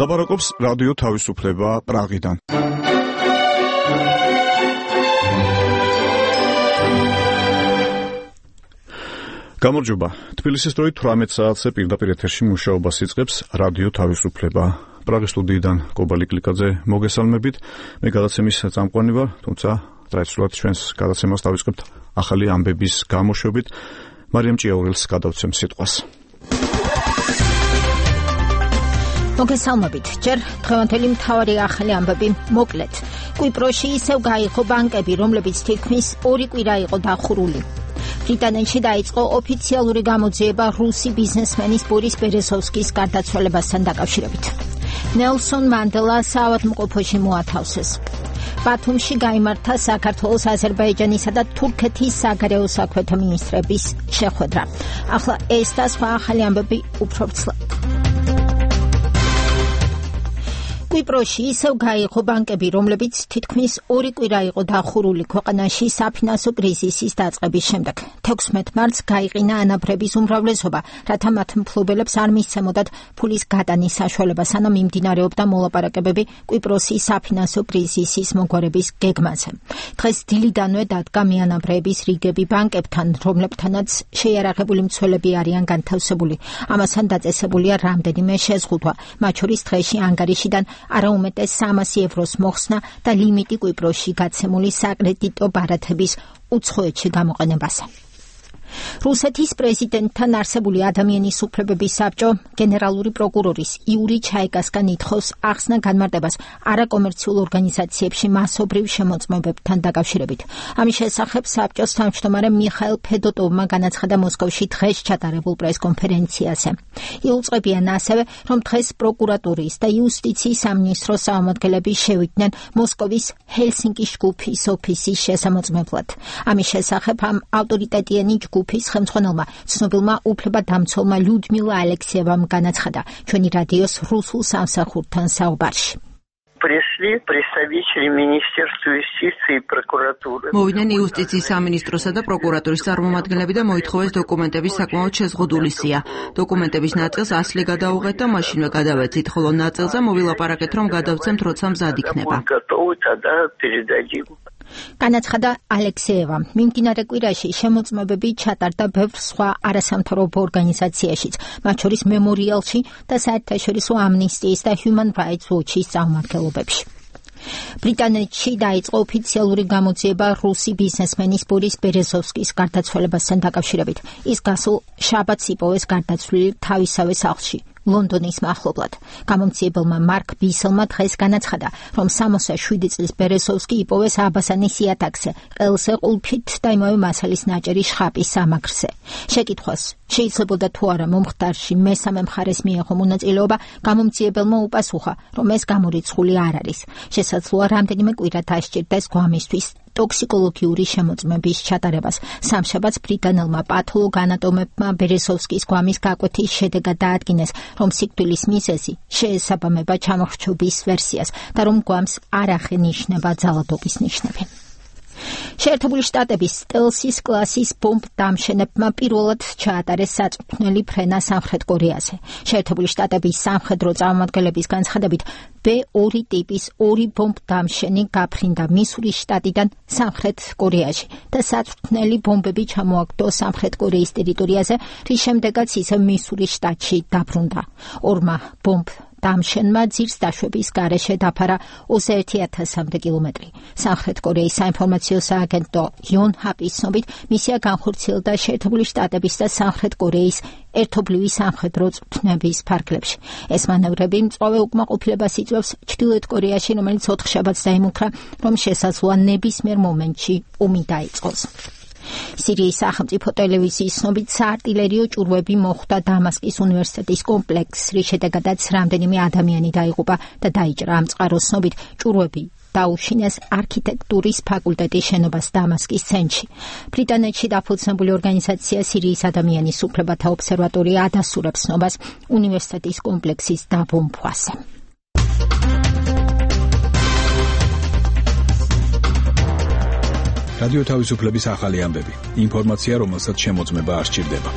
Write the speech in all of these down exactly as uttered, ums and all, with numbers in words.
ლაპარაკობს რადიო თავისუფლება პრაღიდან. გამარჯობა. თბილისის დროით თვრამეტ საათზე პირდაპირ ეთერში მუშაობას იწყებს რადიო თავისუფლება. პრაღის სტუდიიდან კობალი კლიკაძე მოგესალმებით. მე გადაცემის წამყვანი ვარ, თუმცა ტრადიციულად ჩვენს გადაცემას დავიწყებთ ახალი ამბების გამოშვებით. მარიამ ჭიაურელს გადავცემ სიტყვას. მოგესალმებით. ჯერ დღევანდელი მთავარი ახალი ამბები მოკლედ. კვიპროსში ისევ გაიღო ბანკები, რომლებიც თითქმის ორი კვირა იყო დახურული. ბრიტანეთში დაიწყო ოფიციალური გამოძიება რუსი ბიზნესმენის ბორის ბერეზოვსკის გარდაცვალებასთან დაკავშირებით. ნელსონ მანდელა საავადმყოფოში მოათავსეს. ბათუმში გაიმართა საქართველოს, აზერბაიჯანისა და თურქეთის საგარეო საქმეთა მინისტრების შეხვედრა. ახლა ეს და სხვა ახალი ამბები უფრო ვრცლად. კვიპროსში ისევ გაიღო ბანკები, რომლებიც თითქმის ორი კვირა იყო დახურული ქვეყანაში საფინანსო კრიზისის დაწყების შემდეგ. თექვსმეტ მარტს გაიყინა ანაბრების უმრავლესობა, რათა მათ მფლობელებს არ მისცემოდათ ფულის გადანის საშუალება, სანამ მიმდინარეობდა მოლაპარაკებები კვიპროსის საფინანსო კრიზისის მოგვარების გეგმაზე. დღეს დილიდანვე დადგა მეანაბრეების რიგები ბანკებთან, რომლებთანაც შეიარაღებული მცველები არიან განთავსებული. ამასთან დაწესებულია რამდენიმე შეზღუდვა, მათ შორის დღეში ანგარიშიდან არაუმეტეს სამასი ევროს მოხსნა და ლიმიტი კვიპროსში გაცემული საკრედიტო ბარათების უცხოეთში გამოყენებაზე. რუსეთის პრეზიდენტთან არსებული ადამიანის უფლებების საბჭო გენერალური პროკურორის იური ჩაიკასგან ითხოვს ახსნა განმარტებას არაკომერციულ ორგანიზაციებში მასობრივ შემოწმებებთან დაკავშირებით. ამის შესახებ საბჭოს თავმჯდომარე მიხაილ ფედოტოვმა განაცხადა მოსკოვში დღეს ჩატარებულ პრესკონფერენციაზე. იუწყებიან ასევე, რომ დღეს პროკურატურის და იუსტიციის სამინისტროს წარმომადგენლები შევიდნენ მოსკოვის ჰელსინკის ჯგუფის ოფისის შესამოწმებლად. ამის შესახებ ამ ავტორიტეტიანი ჯგუფის ხელმძღვანელმა ცნობილმა უფლებადამცველმა ლიუდმილა ალექსიევამ განაცხადა ჩვენი რადიოს რუსულ სამსახურთან საუბარში. Пришли представители Министерства юстиции и прокуратуры. მოვიდნენ იუსტიციის სამინისტროსა და პროკურატურის წარმომადგენლები და მოითხოვეს დოკუმენტების საკმაოდ შეზღუდული სია. დოკუმენტების ნაწილს ასლი გადაუღეთ და მაშინვე გადავეცით, ხოლო ნაწილზე მოვილაპარაკეთ, რომ გადავცემთ, როცა მზად იქნება. განაცხადა ალექსიევა. მიმდინარე კვირაში შემოწმებები ჩატარდა ბევრ სხვა არასამთავრობო ორგანიზაციაშიც, მათ შორის მემორიალში და საერთაშორისო ამნისტიის და Human Rights Watch-ის წარმომადგენლობებში. ბრიტანეთში დაიწყო ოფიციალური გამოძიება რუსი ბიზნესმენის ბორის ბერეზოვსკის გარდაცვალებასთან დაკავშირებით. ის გასულ შაბათს იპოვეს გარდაცვლილი თავისავე სახლში. ლონდონის მახლობლად. გამომძიებელმა მარკ ბისელმა დღეს განაცხადა, რომ სამოცდა შვიდი წლის ბერეზოვსკი იპოვეს აბასანის იატაკზე, ყელზე ყულფით და იმავე მასალის ნაჭერი შხაპის სამაგრზე. შეკითხვას შეიძლებოდა თუ არა მომხდარში მესამე მხარეს მიიღო მონაწილეობა, გამომძიებელმა უპასუხა, რომ ეს გამორიცხული არ არის. შესაძლოა რამდენიმე კვირა დასჭირდეს გვამისთვის ტოქსიკოლოგიური შემოწმების ჩატარებას. სამშაბათს ბრიტანელმა პათოლოგ-ანატომებმა ბერეზოვსკის გვამის გაკვეთის შედეგად დაადგინეს, რომ სიკვდილის მიზეზი შეესაბამება ჩამოხრჩობის ვერსიას და რომ გვამს არ აღენიშნება ძალადობის ნიშნები. შეერთებული შტატების სტელსის კლასის ბომბ დამშენებმა პირველად ჩაატარეს საწვრთნელი ფრენა სამხრეთ კორეაზე. შეერთებული შტატების სამხედრო წარმომადგენლების განცხადებით, ბე ორი ტიპის ორი ბომბ დამშენი გაფრინდა მისურის შტატიდან სამხრეთ კორეაში და საწვრთნელი ბომბები ჩამოაგდო სამხრეთ კორეის ტერიტორიაზე, რის შემდეგაც ისევ მისურის შტატში დაბრუნდა. ორმა ბომბ დამშენმა ძირს დაშვების გარეშე დაფარა ოცდაერთი ათასამდე კილომეტრი. სამხრეთ კორეის საინფორმაციო სააგენტო იონჰაპის ცნობით, მისია განხორციელდა შეერთებული შტატების და სამხრეთ კორეის ერთობლივი სამხედრო წვრთნების ფარგლებში. ეს მანევრები მწვავე უკმაყოფილებას იწვევს ჩრდილოეთ კორეაში, რომელიც ოთხშაბათს დაიმუქრა, რომ შესაძლოა ნებისმიერ მომენტში ომი დაიწყოს. სირიის სახელმწიფო ტელევიზიის ცნობით საარტილერიო ჭურვები მოხვდა დამასკის უნივერსიტეტის კომპლექსს, რის შედეგადაც რამდენიმე ადამიანი დაიღუპა და დაიჭრა. ამ წყაროს ცნობით ჭურვები დაუშინეს არქიტექტურის ფაკულტეტის შენობას დამასკის ცენტრში. ბრიტანეთში დაფუძნებული ორგანიზაცია სირიის ადამიანის უფლებათა ობსერვატორია ადასტურებს ცნობას უნივერსიტეტის კომპლექსის დაბომბვაზე. რადიო თავისუფლების ახალი ამბები. ინფორმაცია, რომელსაც შემოწმება არ სჭირდება.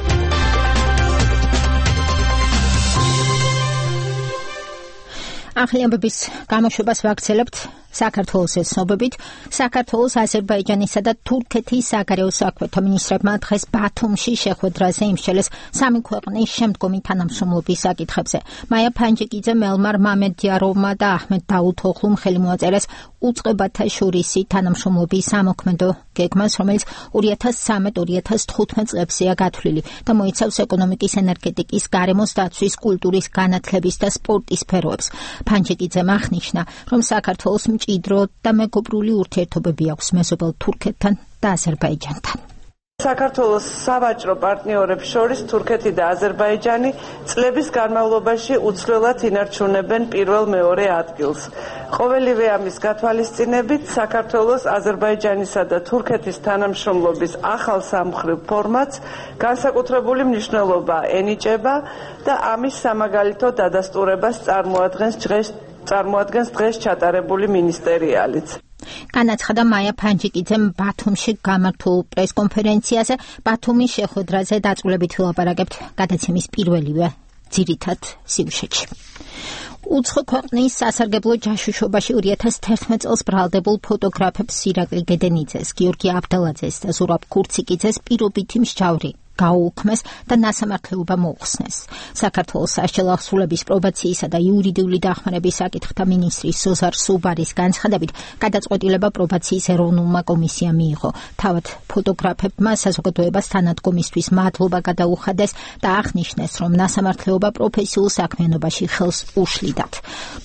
ახლებების გამოშვებას ვაგრძელებთ საქართველოს ცნობებით. საქართველოს, აზერბაიჯანისა და თურქეთის საგარეო საქმეთა მინისტრებმა დღეს ბათუმში შეხვედრაზე იმსჯელეს სამი ქვეყნის შემდგომი თანამშრომლობის საკითხებზე. მაია ფანჯიკიძე, მელმარ მამედიაროვმა და აჰმედ დაუთოღლუმ ხელი მოაწერეს უწყებათა შორისი თანამშრომლობის სამოქმედო გეგმას, რომელიც ორი ათას ცხრამეტ ორი ათას თხუთმეტ წლებზეა გათვლილი და მოიცავს ეკონომიკის, ენერგეტიკის, გარემოს დაცვის, კულტურის, განათლების და სპორტის სფეროებს. ფანჯიკიძემ აღნიშნა, რომ საქართველოს მჭიდრო და მეგობრული ურთიერთობები აქვს მეზობელ თურქეთთან და აზერბაიჯანთან. საქართველოს სავაჭრო პარტნიორებს შორის თურქეთი და აზერბაიჯანი წლების განმავლობაში უცვლელად ინარჩუნებენ პირველ-მეორე ადგილს. ყოველივე ამის გათვალისწინებით საქართველოს, აზერბაიჯანისა და თურქეთის თანამშრომლობის ახალ სამმხრივ ფორმატს განსაკუთრებული მნიშვნელობა ენიჭება და ამის სამაგალითო დადასტურებას წარმოადგენს დღეს წარმოადგენს დღეს ჩატარებული მინისტერიალიც. განაცხადა მაია ფანჯიკიძემ ბათუმში გამართულ პრესკონფერენციაზე. ბათუმის შეხვედრაზე დაწვრილებით ვილაპარაკებთ გადაცემის პირველივე ძირითად სიუჟეტში. უცხო ქვეყნის სასარგებლო ჯაშუშობაში ორი ათას თერთმეტ წელს ბრალდებულ ფოტოგრაფებს ირაკლი გედენიძეს, გიორგი აბდალაძეს და ზურაბ ქურციკიძეს პირობითი მსჯავრი გაუუქმეს და ნასამართლეობა მოუხსნეს. საქართველოს სასჯელო აღსრულების პრობაციისა და იურიდიული დახმარების საკითხთა მინისტრის ზოზარ სუბარის განცხადებით, გადაწყვეტილება პრობაციის ეროვნულმა კომისიამ მიიღო. თავად ფოტოგრაფებმა საზოგადოებას თანადგომისთვის მადლობა გადაუხადეს და აღნიშნეს, რომ ნასამართლეობა პროფესიულ საქმიანობაში ხელს უშლიდათ.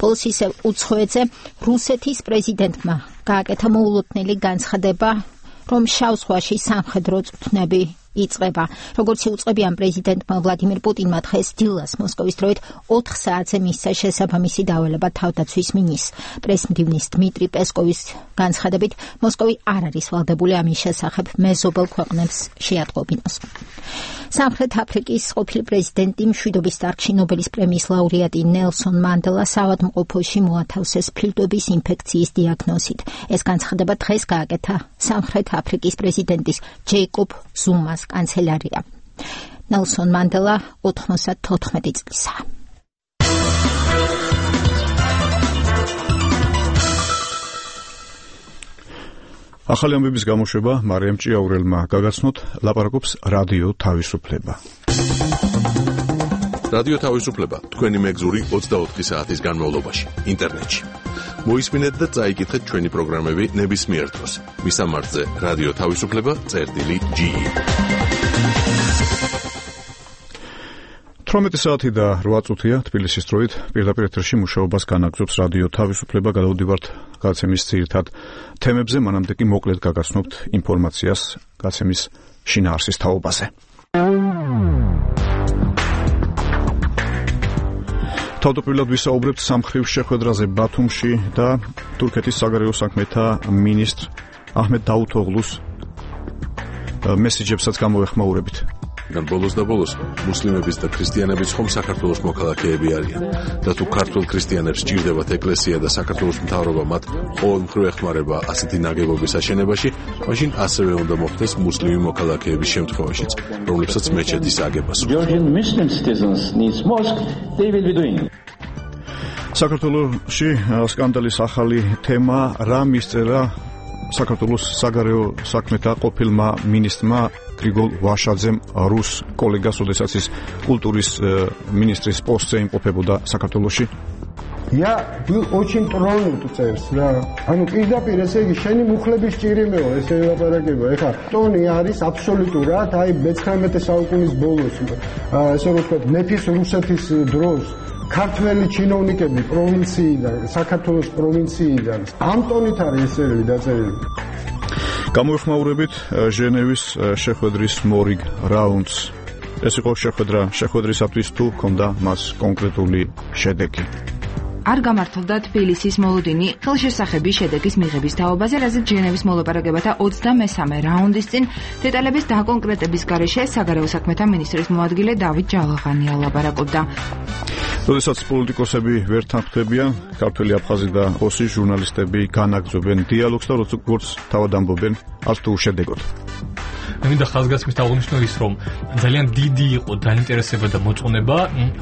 ბოლოს ისევ უცხოეთზე რუსეთის პრეზიდენტმა გააკეთა მოულოდნელი განცხადება, რომ შავ ზღვაში სამხედრო წვრთნები იწყება. როგორც იუწყებიან პრეზიდენტმა ვლადიმირ პუტინმა დღეს დილას მოსკოვის დროით ოთხ საათზე მისცა შესაბამისი დავალება თავდაცვის მინისტრს. პრესმდივნის დმიტრი პესკოვის განცხადებით, მოსკოვი არ არის ვალდებული ამის შესახებ მეზობელ ქვეყნებს შეატყობინოს. სამხრეთ აფრიკის ყოფილი პრეზიდენტი, მშვიდობის დარგში ნობელის პრემიის ლაურეატი ნელსონ მანდელა საავადმყოფოში მოათავსეს ფილტვების ინფექციის დიაგნოზით. ეს განცხადება დღეს გააკეთა სამხრეთ აფრიკის პრეზიდენტის ჯეიკობ ზუმას კანცელარია. ნელსონ მანდელა ოთხმოცდათოთხმეტი წლისაა. ახალი ამბების გამოშვება მარიამ ჭიაურელმა გაგაცნოთ, ლაპარაკობს რადიო თავისუფლება. რადიო თავისუფლება თქვენი მეგზური ოცდაოთხი საათის განმავლობაში ინტერნეტში. მოისმინეთ და წაიკითხეთ ჩვენი პროგრამები ნებისმიერ დროს. მისამართზე რადიო თავისუფლება წერტილი ჯი. თვრამეტი საათი და რვა წუთია თბილისის დროით პირდაპირ ეთერში მუშაობას განაგრძობს რადიო თავისუფლება. გადავდივართ გაცემის ძირითად თემებზე, მანამდე კი მოკლედ გაგაცნობთ ინფორმაციას გაცემის შინაარსის თაობაზე. თავდაპირველად ვისაუბრებთ სამმხრივ შეხვედრაზე ბათუმში და თურქეთის საგარეო საქმეთა მინისტრ აჰმედ დაუთოღლუს მესიჯებსაც გამოვეხმაურებით. და ბოლოს და ბოლოს მუსლიმების და ქრისტიანების ხომ საქართველოს მოქალაქეები არიან და თუ ქართულ ქრისტიანებს სჭირდებათ ეკლესია და საქართველოს მთავრობა მათ ყოველმხრივ ეხმარება ასეთი ნაგებობის აშენებაში, მაშინ ასევე უნდა მოხდეს მუსლიმი მოქალაქეების შემთხვევაშიც, რომლებსაც მეჩეთის აგებას. საქართველოში სკანდალის ახალი თემა რა მისწერა საქართველოს საგარეო საქმეთა ყოფილმა მინისტრმა გრიგოლ ვაშაძემ რუს კოლეგას, ოდესაც ის კულტურის მინისტრის პოსტზე იმყოფებოდა საქართველოში. Я был очень тронут წერს რა. ანუ პირდაპირ ესე იგი შენი მუხლების ჭირიმეო ესე ელაპარაკება. ეხლა ტონი არის აბსოლუტურად, აი მეცხრამეტე საუკუნის ბოლოს, ესე რომ ვთქვათ, მეფის რუსეთის დროს ქართველი ჩინოვნიკები პროვინციიდან, საქართველოს პროვინციიდან ამ ტონით არის ესერები დაწერილი. გამოვიხმაურებით ჟენევის შეხვედრის მორიგ რაუნდს. ეს იყო შეხვედრა შეხვედრისათვის თუ ჰქონდა მას კონკრეტული შედეგი. არ გამართლდა თბილისის მოლოდინი ხელშესახების შედეგის მიღების თაობაზე, რაზეც ჟენევის მოლაპარაკებათა ოცდამესამე რაუნდის წინ დეტალების დაკონკრეტების გარეშე საგარეო საქმეთა მინისტრის მოადგილე დავით ჯალაღანია ლაპარაკობდა. როდესაც პოლიტიკოსები ვერ თანხმდებიან, ქართველი აფხაზი და ოსი ჟურნალისტები განაგრძობენ დიალოგს და როგორც თავად ამბობენ, არც თუ უშედეგოდ. მე მინდა ხაზგასმის დაუნიშნო ის, რომ ძალიან დიდი იყო დაინტერესება და მოწონება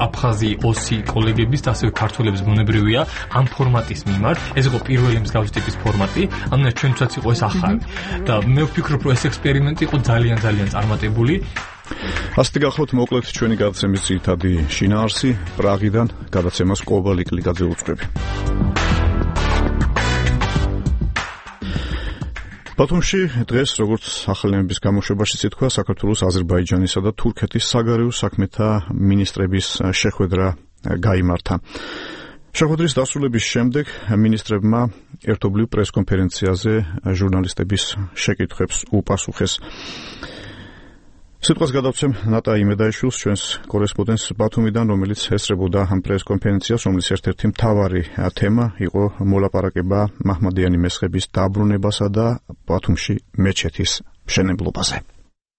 აფხაზი ოსი კოლეგების და ასევე ქართველების ბუნებრივია ამ ფორმატის მიმართ. ეს იყო პირველი მსგავსი ტიპის ფორმატი, ამიტომ ჩვენთვისაც იყო ეს ახალი. და მე ვფიქრობ, რომ ეს ექსპერიმენტი იყო ძალიან ძალიან წარმატებული. ასეთი გახლავთ მოკლედ ჩვენი გადაცემის ძირითადი შინაარსი პრაღიდან გადაცემას კობალიკ ლიკაძე უწყები. ბათუმში დღეს როგორც ახალნების გამოშვებაშიც ითქვა საქართველოს აზერბაიჯანისა და თურქეთის საგარეო საქმეთა მინისტრების შეხვედრა გაიმართა. შეხვედრის დასრულების შემდეგ მინისტრებმა ერთობლივ პრესკონფერენციაზე ჟურნალისტების შეკითხვებს უპასუხეს. სიტყვას გადავცემ ნატა იმედაიშვილს, ჩვენს კორესპონდენტს ბათუმიდან, რომელიც ესწრებოდა ამ პრესკონფერენციას, რომლის ერთ-ერთი მთავარი თემა იყო მოლაპარაკება მაჰმადიანი მესხების დაბრუნებასა და ბათუმში მეჩეთის მშენებლობაზე.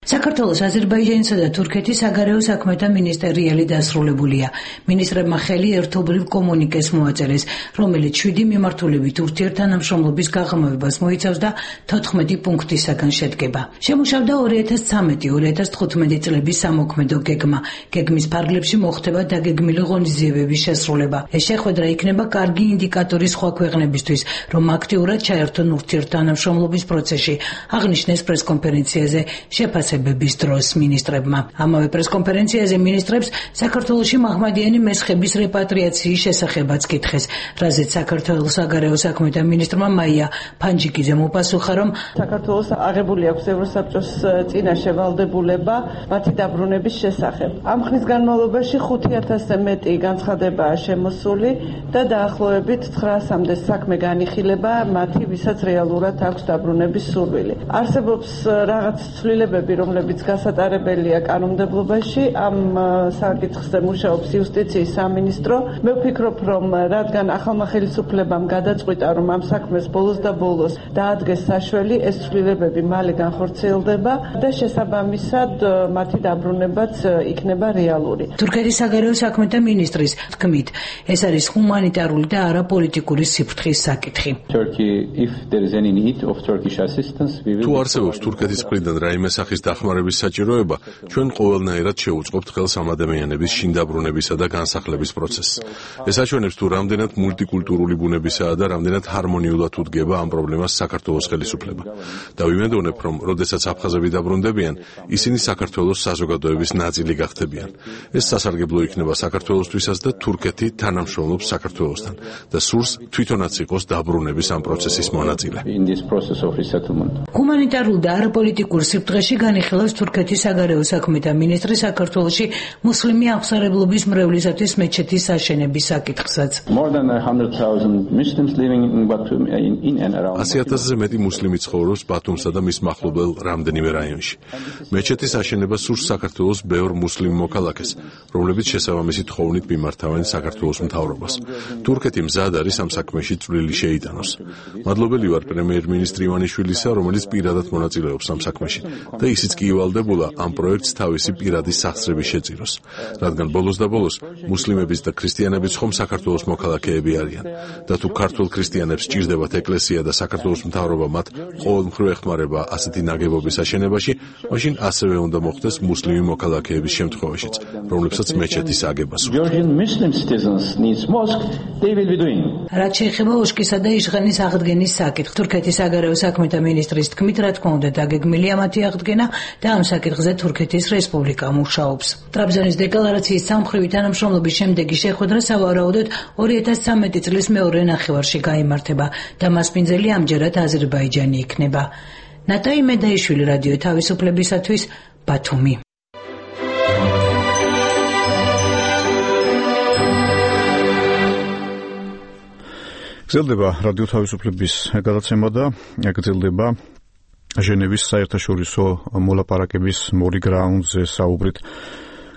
საქართველოს აზერბაიჯანისა და თურქეთის საგარეო საქმეთა მინისტერიალი დასრულებულია. მინისტრებმა ხელი ერთობლივ კომუნიკეს მოაწერეს, რომელიც შვიდი მიმართულებით ურთიერთთანამშრომლობის გაღრმავებას მოიცავს და თოთხმეტი პუნქტისაგან შედგება. შემუშავდა ორი ათას ცხრამეტი ორი ათას თხუთმეტი წლების სამოქმედო გეგმა. გეგმის ფარგლებში მოხდება დაგეგმილი ღონისძიებების შესრულება. ეს შეხვედრა იქნება კარგი ინდიკატორი სხვა ქვეყნებისთვის, რომ აქტიურად ჩაერთონ ურთიერთთანამშრომლობის პროცესში, აღნიშნეს პრესკონფერენციაზე შეფასება დროს მინისტრებმა. ამავე პრესკონფერენციაზე მინისტრებს საქართველოში მაჰმადიანი მესხების რეპატრიაციის შესახებაც კითხეს, რაზეც საქართველოს საგარეო საქმეთა მინისტრმა მაია ფანჯიკიძემ უპასუხა, რომ საქართველოს აღებული აქვს ევროსაბჭოს წინაშე ვალდებულება მათი დაბრუნების შესახებ. ამ ხნის განმავლობაში ხუთი ათასზე მეტი განცხადებაა შემოსული და დაახლოებით ცხრაასამდე საქმე განიხილება მათი, ვისაც რეალურად აქვს დაბრუნების სურვილი. არსებობს რაღაც ცვლილებები, რომლებიც გასატარებელია კანონმდებლობაში, ამ საკითხზე მუშაობს იუსტიციის სამინისტრო. მე ვფიქრობ, რომ რადგან ახალმა ხელისუფლებამ გადაწყვიტა, რომ ამ საქმეს ბოლოს და ბოლოს დაადგეს საშველი, ეს ცვლილებები მალე განხორციელდება და შესაბამისად მათი დაბრუნებაც იქნება რეალური. თურქეთის საგარეო საქმეთა მინისტრის თქმით, ეს არის ჰუმანიტარული და არა პოლიტიკური სიფრთხის საკითხი. თუ არსებობს თურქეთის მხრიდან რაიმე სახის დახმარების საჭიროება, ჩვენ ყოველნაირად შევუწყობთ ხელს ამ ადამიანების შინდაბრუნებისა და განსახლების პროცესს. ეს აჩვენებს, თუ რამდენად მულტიკულტურული ბუნებისაა და რამდენად ჰარმონიულად უდგება ამ პრობლემას საქართველოს ხელისუფლება. და ვიმედოვნებ, რომ როდესაც აფხაზები დაბრუნდებიან, ისინი საქართველოს საზოგადოების ნაწილი გახდებიან. ეს სასარგებლო იქნება საქართველოსთვისაც და თურქეთი თანამშრომლობს საქართველოსთან და სურს თვითონაც იყოს დაბრუნების ამ პროცესის მონაწილე. ჰუმანიტარულ და არა პოლიტიკურ სიფრთხეში განიხილავს თურქეთის საგარეო საქმეთა მინისტრი საქართველოში მუსლიმი აღმსარებლობის მრევლისათვის მეჩეთის აშენების საკითხსაც. ასი ათასზე მეტი მუსლიმი ცხოვრობს ბათუმსა და მის მახლობელ რამდენიმე რაიონში. მეჩეთის აშენება სურს საქართველოს ბევრ მუსლიმ მოქალაქეს, რომლებიც შესაბამისი თხოვნით მიმართავენ საქართველოს მთავრობას. თურქეთი მზად არის ამ საქმეში წვლილი შეიტანოს. მადლობელი ვარ პრემიერ-მინისტრი ივანიშვილისა, რომელიც პირადად მონაწილეობს ამ საქმეში და ისიც კი ივალდებულა ამ პროექტს თავისი პირადი სახსრები შეწიროს, რადგან ბოლოს და ბოლოს მუსლიმების და ქრისტიანების ხომ საქართველოს მოქალაქეები არიან და თუ ქართულ ქრისტიანებს სჭირდებათ ეკლესია და საქართველოს მთავრობა მათ ყოველმხრივ ეხმარება ასეთი ნაგებობის აშენებაში, მაშინ ასევე უნდა მოხდეს მუსლიმი მოქალაქეების შემთხვევაშიც, რომლებსაც მეჩეთის აგება სურთ. რაც შეეხება უშკისა და იშღანის აღდგენის საკითხს, თურქეთის საგარეო საქმეთა მინისტრის თქმით, რა თქმა უნდა დაგეგმილია მათი აღდგენა და ამ საკითხზე თურქეთის რესპუბლიკა მუშაობს. ტრაბზონის დეკლარაციის სამმხრივი თანამშრომლობის შემდეგი შეხვედრა სავარაუდოდ ორი ათას ცხრამეტი წლის მეორე ნახევარში გაიმართება და მასპინძელი ამჯერად აზერბაიჯანი იქნება. ნატა იმედაიშვილი, რადიო თავისუფლებისათვის, ბათუმი. გრძელდება რადიო თავისუფლების გადაცემა და გრძელდება ჟენევის საერთაშორისო მოლაპარაკების მორიგ რაუნდზე საუბრით.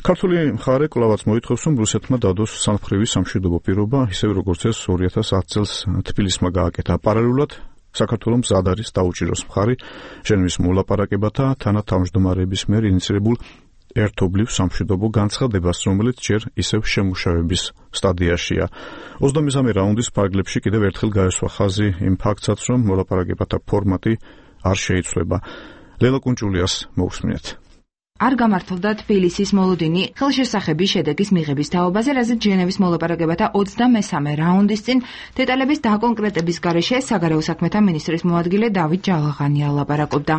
ქართული მხარე კვლავაც მოითხოვს, რომ რუსეთმა დადოს სამმხრივი სამშვიდობო პირობა, ისევე როგორც ეს ორი ათას ათი წელს თბილისმა გააკეთა. პარალელურად საქართველოს მზად არის დაუჭიროს მხარი ჟენევის მოლაპარაკებათა თანათავმჯდომარეების მიერ ინიციირებულ ერთობლივ სამშვიდობო განცხადებას, რომელიც ჯერ ისევ შემუშავების სტადიაშია. ოცდამესამე რაუნდის ფარგლებში კიდევ ერთხელ გაესვა ხაზი იმ ფაქტსაც, რომ მოლაპარაკებათა ფორმატი არ შეიცვლება. ლელა კუნჭულიას მოусმინეთ. არ გამართლდა თბილისის მოლოდინი ხელშესახების შედეგის მიღების თაობაზე, რაზეც ჟენევის მოლაპარაკებათა ოცდამესამე რაუნდის წინ დეტალების დაკონკრეტების გარეშე საგარეო საქმეთა მინისტრის მოადგილე დავით ჯალაღანია ლაპარაკობდა.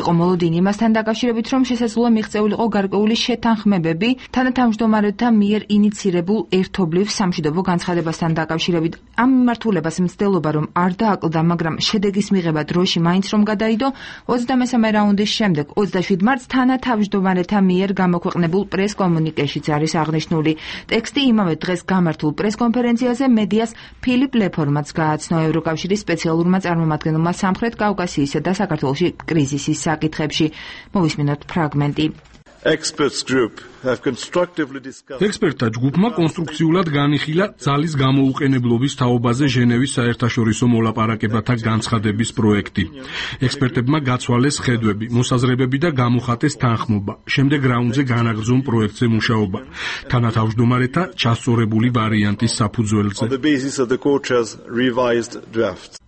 იყო მოლოდინი იმასთან დაკავშირებით, რომ შესაძლოა მიღწეულიყო გარკვეული შეთანხმებები თანათავმჯდომარეთა მიერ ინიცირებულ ერთობლივ სამშვიდობო განცხადებასთან დაკავშირებით. ამ მიმართულებას მცდელობა რომ არ დააკლდა, მაგრამ შედეგის მიღება დროში მაინც რომ გადაიდო, ოცდამესამე რაუნდის შემდეგ ოცდაშვიდ მარტს თანათავმჯდომარეთა მიერ გამოქვეყნებულ პრეს-კომუნიკეშიც არის აღნიშნული. ტექსტი იმავე დღეს გამართულ პრეს-კონფერენციაზე მედიას ფილიპ ლეფორმაც გააცნო ევროკავშირის სპეციალურმა წარმომადგენელმა სამხრეთ კავკასიისა და საქართველოში კრიზისის საკითხებში. მოვისმინოთ ფრაგმენტი. ექსპერტთა ჯგუფმა კონსტრუქციულად განიხილა ძალის გამოუყენებლობის თაობაზე ჟენევის საერთაშორისო მოლაპარაკებათა განცხადების პროექტი. ექსპერტებმა გაცვალეს ხედვები, მოსაზრებები და გამოხატეს თანხმობა. შემდეგ რაუნდზე განაგრძონ პროექტზე მუშაობა. თანათავმჯდომარეთა ჩასწორებული ვარიანტის საფუძველზე.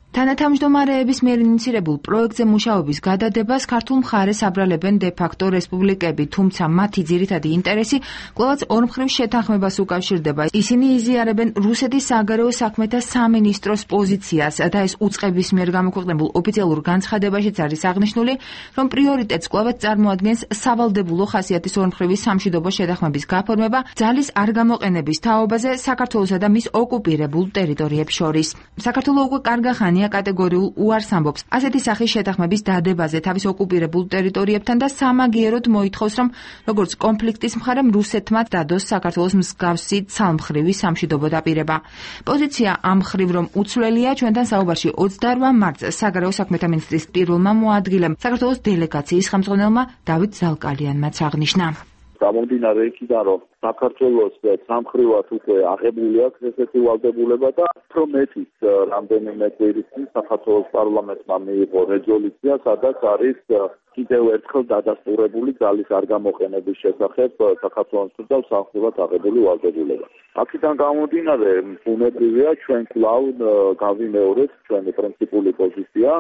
თანათავმჯდომარეების მიერ ინიცირებულ პროექტზე მუშაობის გადადებას ქართულ მხარეს აბრალებენ დე-ფაქტო რესპუბლიკები, თუმცა მათი ძირითადი ინტერესი კვლავაც ორმხრივ შეთანხმებას უკავშირდება. ისინი იზიარებენ რუსეთის საგარეო საქმეთა სამინისტროს პოზიციას და ეს უწყების მიერ გამოქვეყნებულ ოფიციალურ განცხადებაშიც არის აღნიშნული, რომ პრიორიტეტს კვლავაც წარმოადგენს სავალდებულო ხასიათის ორმხრივი სამშვიდობო შეთანხმების გაფორმება ძალის არ გამოყენების თაობაზე საქართველოსა და მის ოკუპირებულ ტერიტორიებს შორის. საქართველო უკვე კარგა ხანია კატეგორიულ უარს ამბობს ასეთი სახის შეთანხმების დადებაზე თავის ოკუპირებულ ტერიტორიებთან და სამაგიეროდ მოითხოვს, რომ როგორც კონფლიქტის მხარემ რუსეთმა დადოს საქართველოს მსგავსი ცალმხრივი სამშვიდობო დაპირება. პოზიცია ამ მხრივ რომ უცვლელია, ჩვენთან საუბარში ოცდაორ მარტს საგარეო საქმეთა მინისტრის პირველმა მოადგილემ საქართველოს დელეგაციის ხელმძღვანელმა დავით ზალკალიანმაც აღნიშნა. გამომდინარე იქიდან, რომ საქართველოს სამხრივად უკვე აღებული აქვს ესეთი ვალდებულება და უფრო მეტიც რამდენიმე კვირის წინ საქართველოს პარლამენტმა მიიღო რეზოლუცია, სადაც არის კიდევ ერთხელ დადასტურებული ძალის არ გამოყენების შესახებ საქართველოს და სამხრივად აღებული ვალდებულება. აქედან გამომდინარე, ბუნებრივია ჩვენ კვლავ გავიმეორეთ ჩვენი პრინციპული პოზიცია,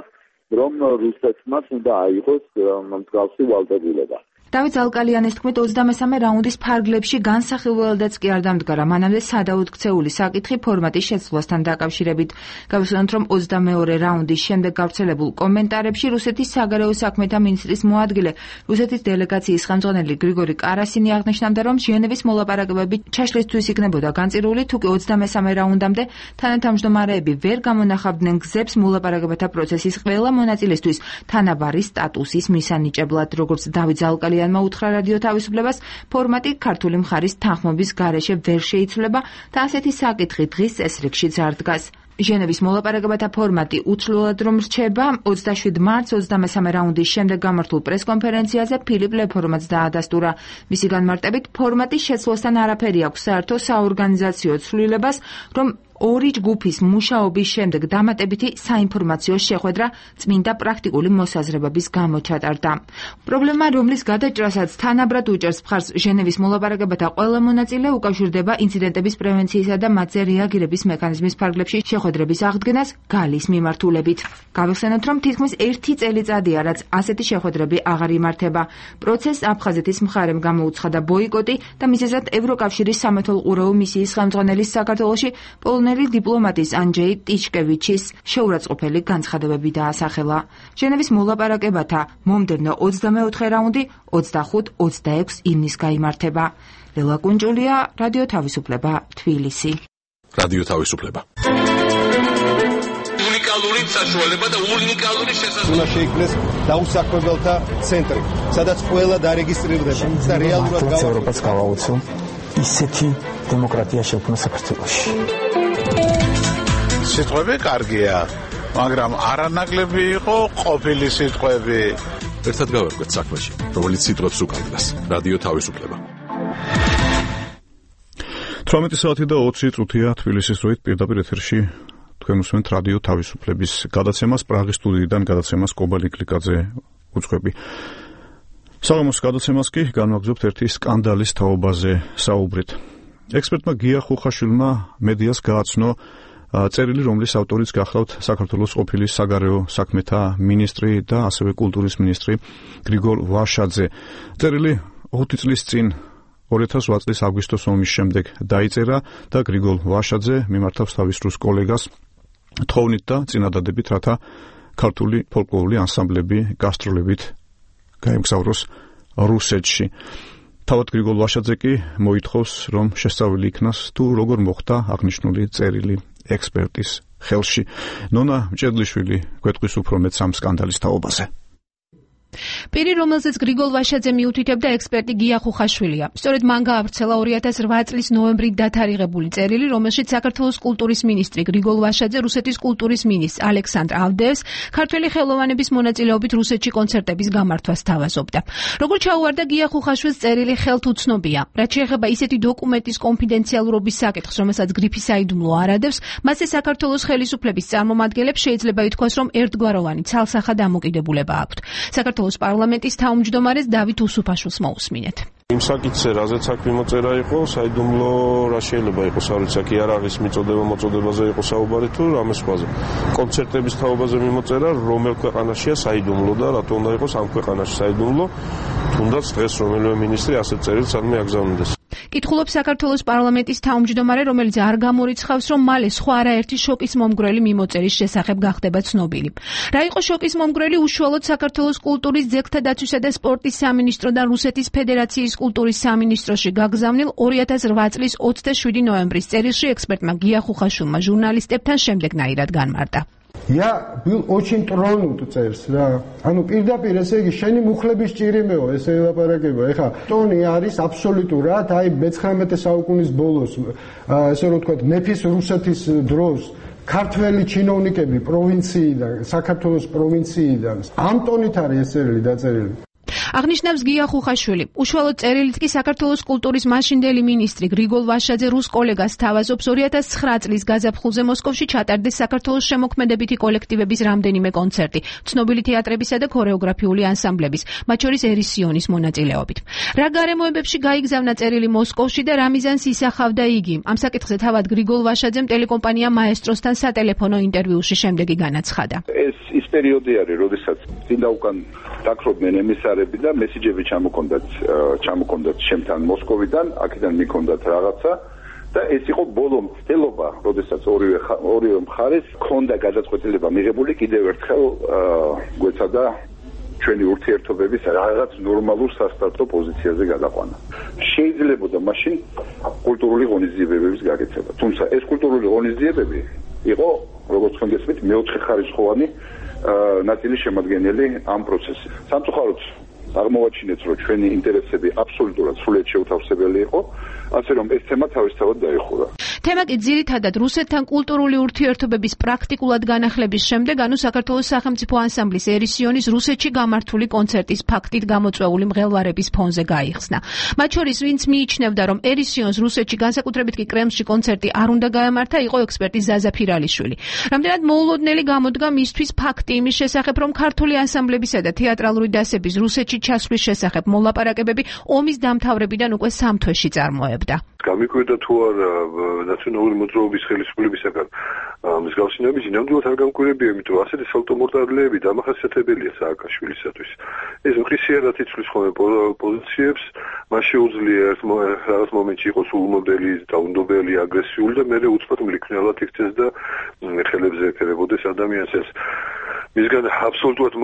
რომ რუსეთმა უნდა აიღოს მსგავსი ვალდებულება. დავით ზალკალიანის თქმით, ოცდამესამე რაუნდის ფარგლებში განსახილველადაც კი არ დამდგარა მანამდე სადაუდგცეული საკითხი ფორმატის შეცვლასთან დაკავშირებით. გავიხსენოთ, რომ ოცდამეორე რაუნდის შემდეგ გავრცელებულ კომენტარებში რუსეთის საგარეო საქმეთა მინისტრის მოადგილე, რუსეთის დელეგაციის ხელმძღვანელი გრიგორი კარასინი აღნიშნავდა, რომ ჟენევის მოლაპარაკებები ჩაშლისთვის იქნებოდა განწირული, თუკი ოცდამესამე რაუნდამდე თანათავმჯდომარეები ვერ გამონახავდნენ გზებს მოლაპარაკებათა პროცესის ყველა მონაწილესთვის თანაბარი სტატუსის მისანიჭებლად, როგორც დავით ზალკალიანი უთხრა რადიო თავისუფლებას, ფორმატი ქართული მხარის თანხმობის გარეშე ვერ შეიცვლება და ასეთი საკითხი დღის წესრიგშიც არ დგას. ჟენევის მოლაპარაკებათა ფორმატი უცვლელად რომ რჩება, ოცდაშვიდ მარტს ოცდამესამე რაუნდის შემდეგ გამართულ პრეს-კონფერენციაზე ფილიპ ლეფორმაც დაადასტურა. მისი განმარტებით, ფორმატის შეცვლასთან არაფერი აქვს საერთო საორგანიზაციო ცვლილებას, რომ ორი ჯგუფის მუშაობის შემდეგ დამატებითი საინფორმაციო შეხვედრა წმინდა პრაქტიკული მოსაზრებების გამო ჩატარდა. პრობლემა, რომლის გადაჭრასაც თანაბრად უჭერს მხარს ჟენევის მოლაპარაკებათა ყველა მონაწილე, უკავშირდება ინციდენტების პრევენციისა და მათზე რეაგირების მექანიზმის ფარგლებში შეხვედრების აღდგენას გალის მიმართულებით. გავიხსენოთ, რომ თითქმის ერთი წელიწადია, რაც ასეთი შეხვედრები აღარ იმართება. პროცესს აფხაზეთის მხარემ გამოუცხადა ბოიკოტი და მიზეზად ევროკავშირის სამეთვალყურეო მისიის ხელმძღვანელის საქართველოში პოლონელი დიპლომატის ანჯეი ტიჩკევიჩის შეურაცხყოფელი განცხადებები დაასახელა. ჟენევის მოლაპარაკებათა მომდევნო ოცდამეოთხე რაუნდი ოცდახუთ ოცდაექვსი ივნისს გაიმართება. ლელა კუნჭულია, რადიო თავისუფლება, თბილისი. რადიო თავისუფლება. უნიკალური საშუალება და უნიკალური შესაძლებლობა. უნდა შეიქმნეს დაუსაქმებელთა ცენტრი, სადაც ყველა დარეგისტრირდება და რეალურად ევროპას გავაუცო ისეთი დემოკრატია შექმნა საქართველოში. სიტყვები კარგია, მაგრამ არანაკლები იყო ყოფილი სიტყვები. ერთად გავერკვეთ საქმეში, რომელიც სიტყვებს უკავშირდება. რადიო თავისუფლება. თვრამეტი საათი და ოცი წუთია თბილისის დროით პირდაპირ ეთერში თქვენ უსმენთ რადიო თავისუფლების გადაცემას პრაღის სტუდიიდან გადაცემას კობალი კლიკაძე უძღვები. საღამოს გადაცემას კი განვაგრძობთ ერთი სკანდალის თაობაზე საუბრით. ექსპერტმა გია ხუხაშვილმა მედიას გააცნო წერილი, რომლის ავტორიც გახლავთ საქართველოს ყოფილი საგარეო საქმეთა მინისტრი და ასევე კულტურის მინისტრი გრიგოლ ვაშაძე. წერილი ოცი წლის წინ ორი ათას ოთხ წლის აგვისტოს ომის შემდეგ დაიწერა და გრიგოლ ვაშაძე მიმართავს თავის რუს კოლეგას თხოვნით და წინადადებით, რათა ქართული ფოლკლორული ანსამბლები გასტროლებით გაემგზავროს რუსეთში. თავად გრიგოლ ვაშაძე კი მოითხოვს, რომ შესწავლილი იქნას თუ როგორ მოხდა აღნიშნული წერილი ექსპერტის ხელში. ნონა მჭედლიშვილი გვეტყვის უფრო მეტს ამ სკანდალის თაობაზე. პირი, რომელზეც გრიგოლ ვაშაძე მიუთითებდა, ექსპერტი გია ხუხაშვილია. სწორედ მან გაავრცელა ორი ათას რვა წლის ნოემბრით დათარიღებული წერილი, რომელშიც საქართველოს კულტურის მინისტრი გრიგოლ ვაშაძე რუსეთის კულტურის მინისტრ ალექსანდრ ავდეევს ქართველი ხელოვანების მონაწილეობით რუსეთში კონცერტების გამართვას თავაზობდა. როგორც ჩაუვარდა გია ხუხაშვილს, წერილი ხელთ უცნობია. რაც შეეხება ისეთი დოკუმენტის კონფიდენციალურობის საკითხს, რომელსაც გრიფი საიდუმლო არ ადევს, მასზე საქართველოს ხელისუფლების წარმომადგენლებს შეიძლება ითქვას, რომ ერთგვაროვანი ცალსახა დამოკიდებულება აქვთ. საქართველოს პარლამენტის თავმჯდომარეს დავით უსუფაშვილს მოусმინეთ. იმ საკითხზე, რაზეც აქ მიმოწერა იყო, საიდუმლო რა შეიძლება იყოს, არ ვიცი, აქ იარაღის მიწოდება მოწოდებაზე იყო საუბარი თუ რამე სხვაზე. კონცერტების თაობაზე მიმოწერა, რომელ ქვეყანაშია საიდუმლო და რატო უნდა იყოს ამ ქვეყანაში საიდუმლო, თუნდაც დღეს რომელიმე მინისტრი ასეთ წერილს არ მიაგზავნდეს. კითხულობს საქართველოს პარლამენტის თავმჯდომარე, რომელიც არ გამორიცხავს, რომ მალე სხვა არაერთი შოკის მომგვრელი მიმოწერის შესახებ გახდება ცნობილი. რა იყო შოკის მომგვრელი? უშუალოდ საქართველოს კულტურის, ძეგლთა დაცვისა და სპორტის სამინისტროდან რუსეთის ფედერაციის კულტურის სამინისტროში გაგზავნილ ორი ათას რვა წლის ოცდაშვიდი ნოემბრის წერილში ექსპერტმა გია ხუხაშვილმა ჟურნალისტებთან შემდეგნაირად განმარტა. Я был очень тронут წერს რა. ანუ პირდაპირ ესე იგი შენი მუხლების ჭირიმეო ესე ელაპარაკება. ეხა ტონი არის აბსოლუტურად აი მეცხრამეტე საუკუნის ბოლოს ესე რომ ვთქვათ მეფის რუსეთის დროს ქართველი ჩინოვნიკები პროვინციიდან, საქართველოს პროვინციიდან ამ ტონით არის ეს წერილი დაწერილი. აღნიშნავს გია ხუხაშვილი. უშუალოდ წერილით კი საქართველოს კულტურის მაშინდელი მინისტრი გრიგოლ ვაშაძე რუს კოლეგას თავაზობს ორი ათას ცხრა წლის გაზაფხულზე მოსკოვში ჩატარდეს საქართველოს შემოქმედებითი კოლექტივების რამდენიმე კონცერტი, ცნობილი თეატრებისა და ქორეოგრაფიული ანსამბლების, მათ შორის ერისიონის მონაწილეობით. რა გარემოებებში გაიგზავნა წერილი მოსკოვში და რა მიზანს ისახავდა იგი? ამ საკითხზე თავად გრიგოლ ვაშაძემ ტელეკომპანია მაესტროსთან სატელეფონო ინტერვიუში შემდეგი განაცხადა. ეს ის პერიოდი არის, როდესაც წინ და უკან დაქრობდნენ ემისარები და მესიჯები ჩამოქონდათ ჩამოქონდათ შემთან მოსკოვიდან, აქედან მიქონდათ რაღაცა და ეს იყო ბოლო მცდელობა, როდესაც ორივე ორივე მხარეს ქონდა გადაწყვეტილება მიღებული კიდევ ერთხელ გვეცადა ჩვენი ურთიერთობების რაღაც ნორმალურ სასტარტო პოზიციაზე გადაყვანა. შეიძლებოდა მაშინ კულტურული ღონისძიებების გაკეთება. თუმცა ეს კულტურული ღონისძიებები იყო, როგორც ხანგრძლივად მეოთხე ხარისხოვანი ნაწილი შემადგენელი ამ პროცესში. სამწუხაროდ აღმოვაჩინეთ, რომ ჩვენი ინტერესები აბსოლუტურად სრულიად შეუთავსებელი იყო, ასე რომ ეს თემა თავისთავად დაიხურა. თემა კი ძირითადად რუსეთთან კულტურული ურთიერთობების პრაქტიკულად განახლების შემდეგ, ანუ საქართველოს სახელმწიფო ანსამბლის ერისიონის რუსეთში გამართული კონცერტის ფაქტით გამოწვეული მღელვარების ფონზე გაიხსნა. მათ შორის, ვინც მიიჩნევდა, რომ ერისიონს რუსეთში, განსაკუთრებით კი კრემლში კონცერტი არ უნდა გაემართა, იყო ექსპერტი ზაზა ფირალიშვილი. რამდენად მოულოდნელი გამოდგა მისთვის ფაქტი იმის შესახებ, რომ ქართული ანსამბლებისა და თეატრალური დასების რუსეთში ჩასვლის შესახებ მოლაპარაკებები ომის დამთავრებიდან უკვე სამ თვეში წარმოებდა. გამიკვირდა თუ არა ნაციონალური მოძრაობის ხელისუფლებისაგან მსგავსი ნაბიჯი, ნამდვილად არ გამკვირებია, იმიტომ რომ ასეთი სალტომორტალეები დამახასიათებელია სააკაშვილისათვის. ეს მყისიერად იცვლის ხოლმე პოზიციებს, მას შეუძლია რაღაც მომენტში იყოს ულმოდელი, დაუნდობელი, აგრესიული და მერე უცბად მლიქნელად იქცეს და ხელებზე ეფერებოდეს ადამიანს. ეს მისგან აბსოლუტურად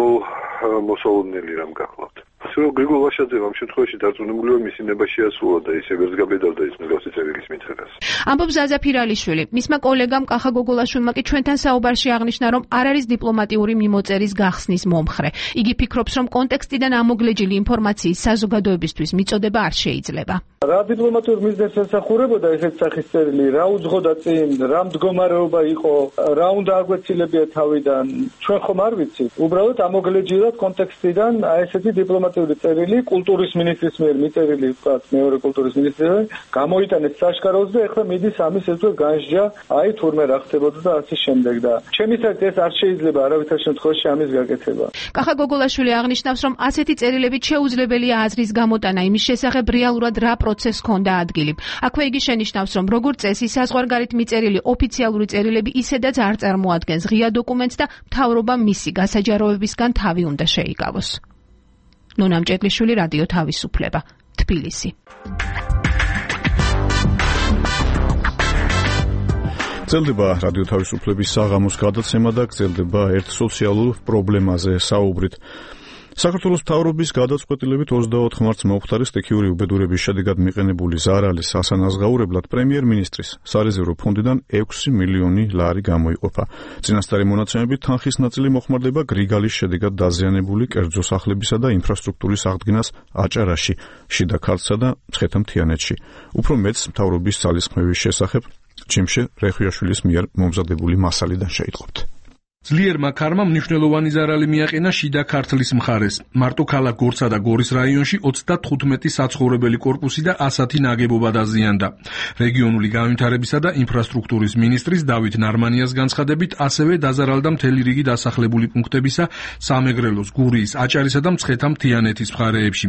მოსალოდნელი რამ გახლავთ. ასე რომ გრიგოლ ვაშაძე ამ შემთხვევაში დარწმუნებულია მისი ნება შეასრულა და ისე ვერც გაბედავდა ის მსგავსი წერილის მითხრას. ამბობს ზაზა ფირალიშვილი. მისმა კოლეგამ კახა გოგოლაშვილმა კი ჩვენთან საუბარში აღნიშნა, რომ არ არის დიპლომატიური მიმოწერის გახსნის მომხრე. იგი ფიქრობს, რომ კონტექსტიდან ამოგლეჯილი ინფორმაციის საზოგადოებისთვის მიწოდება არ შეიძლება. რა დიპლომატიურ მიზნებს ესახურებოდა ესეთ სახის წერილი, რა უძღოდა წინ, რა მდგომარეობა იყო, რა უნდა აგვეცილებია თავიდან, ჩვენ ხომ არ ვიცით. უბრალოდ ამოგლეჯილად კონტექსტიდან აი ესეთი დიპლომატიური ინფორმაციული წერილი კულტურის მინისტრის მიერ მიწერილი ვთქვათ მეორე კულტურის მინისტრს გამოიტანეს საშკაროზე და ეხლა მიდის ამის ეს განსჯა აი თურმე რა ხდებოდა და ასე შემდეგ და ჩემი საკ ეს არ შეიძლება არავითარ შემთხვევაში ამის გაკეთება. კახა გოგოლაშვილი აღნიშნავს, რომ ასეთი წერილებით შეუძლებელია აზრის გამოტანა იმის შესახებ რეალურად რა პროცესს ჰქონდა ადგილი. აქვე იგი შენიშნავს, რომ როგორც წესი საზღვარგარეთ მიწერილი ოფიციალური წერილები ისედაც არ წარმოადგენს ღია დოკუმენტს და მთავრობამ მისი გასაჯაროებისგან თავი უნდა შეიკავოს. ნონა მჭედლიშვილი, რადიო თავისუფლება, თბილისი. გრძელდება რადიო თავისუფლების საღამოს გადაცემა და გრძელდება ერთ სოციალურ პრობლემაზე საუბრით. საქართველოს მთავრობის გადაწყვეტილებით ოცდაოთხ მარტს მომხდარი სტიქიური უბედურების შედეგად მიყენებული ზარალის ასანაზღაურებლად პრემიერ-მინისტრის სარეზერვო ფონდიდან ექვსი მილიონი ლარი გამოიყოფა. წინასწარი მონაცემებით თანხის ნაწილი მოხმარდება გრიგალის შედეგად დაზიანებული კერძო სახლებისა და ინფრასტრუქტურის აღდგენას აჭარაში, შიდა ქართლსა და მცხეთა-მთიანეთში. უფრო მეც მთავრობის ძალისხმევის შესახებ ჯიმშე რეხვიაშვილის მიერ მომზადებული მასალიდან შეიტყობთ. ძლიერმა ქარმა მნიშვნელოვანი ზარალი მიაყენა შიდა ქართლის მხარეს. მარტო ქალაქ გორცსა და გორის რაიონში ოცდათხუთმეტი საცხოვრებელი კორპუსი და ასათი ნაგებობა დაზიანდა. რეგიონული განვითარებისა და ინფრასტრუქტურის მინისტრის დავით ნარმანიას განცხადებით, ასევე დაზარალდა მთელი რიგი დასახლებული პუნქტებისა სამეგრელოს, გურიის, აჭარისა და მცხეთა-მთიანეთის მხარეებში,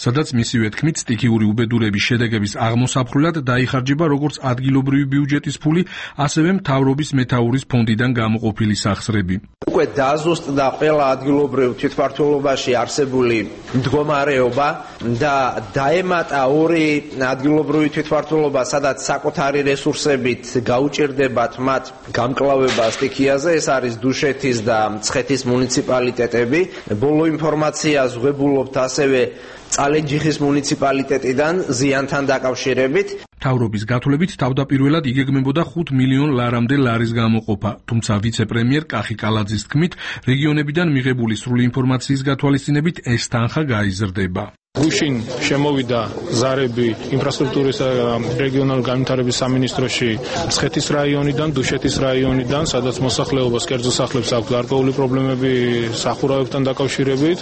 სადაც მისივე თქმით სტიქიური უბედურების შედეგების აღმოსაფრულად დაიხარჯება როგორც ადგილობრივი ბიუჯეტის ფული, ასევე მთავრობის მეთაურის ფონდიდან გამოყოფილი სახსრები. უკვე დაზუსტდა ყველა ადგილობრივ თვითმმართველობაში არსებული მდგომარეობა და დაემატა ორი ადგილობრივი თვითმმართველობა, სადაც საკუთარი რესურსებით გაუჭირდებათ მათ გამკლავება სტიქიაზე, ეს არის დუშეთის და მცხეთის მუნიციპალიტეტები. ბოლო ინფორმაციას ვღებულობთ ასევე წალენჯიხის მუნიციპალიტეტიდან ზიანთან დაკავშირებით. მთავრობის გათვლებით თავდაპირველად იგეგმებოდა ხუთ მილიონ ლარამდე ლარის გამოყოფა, თუმცა ვიცე-პრემიერ კახი კალაძის თქმით, რეგიონებიდან მიღებული სრული ინფორმაციის გათვალისწინებით ეს თანხა გაიზრდება. გუშინ შემოვიდა ზარები ინფრასტრუქტურის რეგიონალური განვითარების სამინისტროში მცხეთის რაიონიდან, დუშეთის რაიონიდან, სადაც მოსახლეობას კერძო სახლებს აქვს გარკვეული პრობლემები სახურავებთან დაკავშირებით,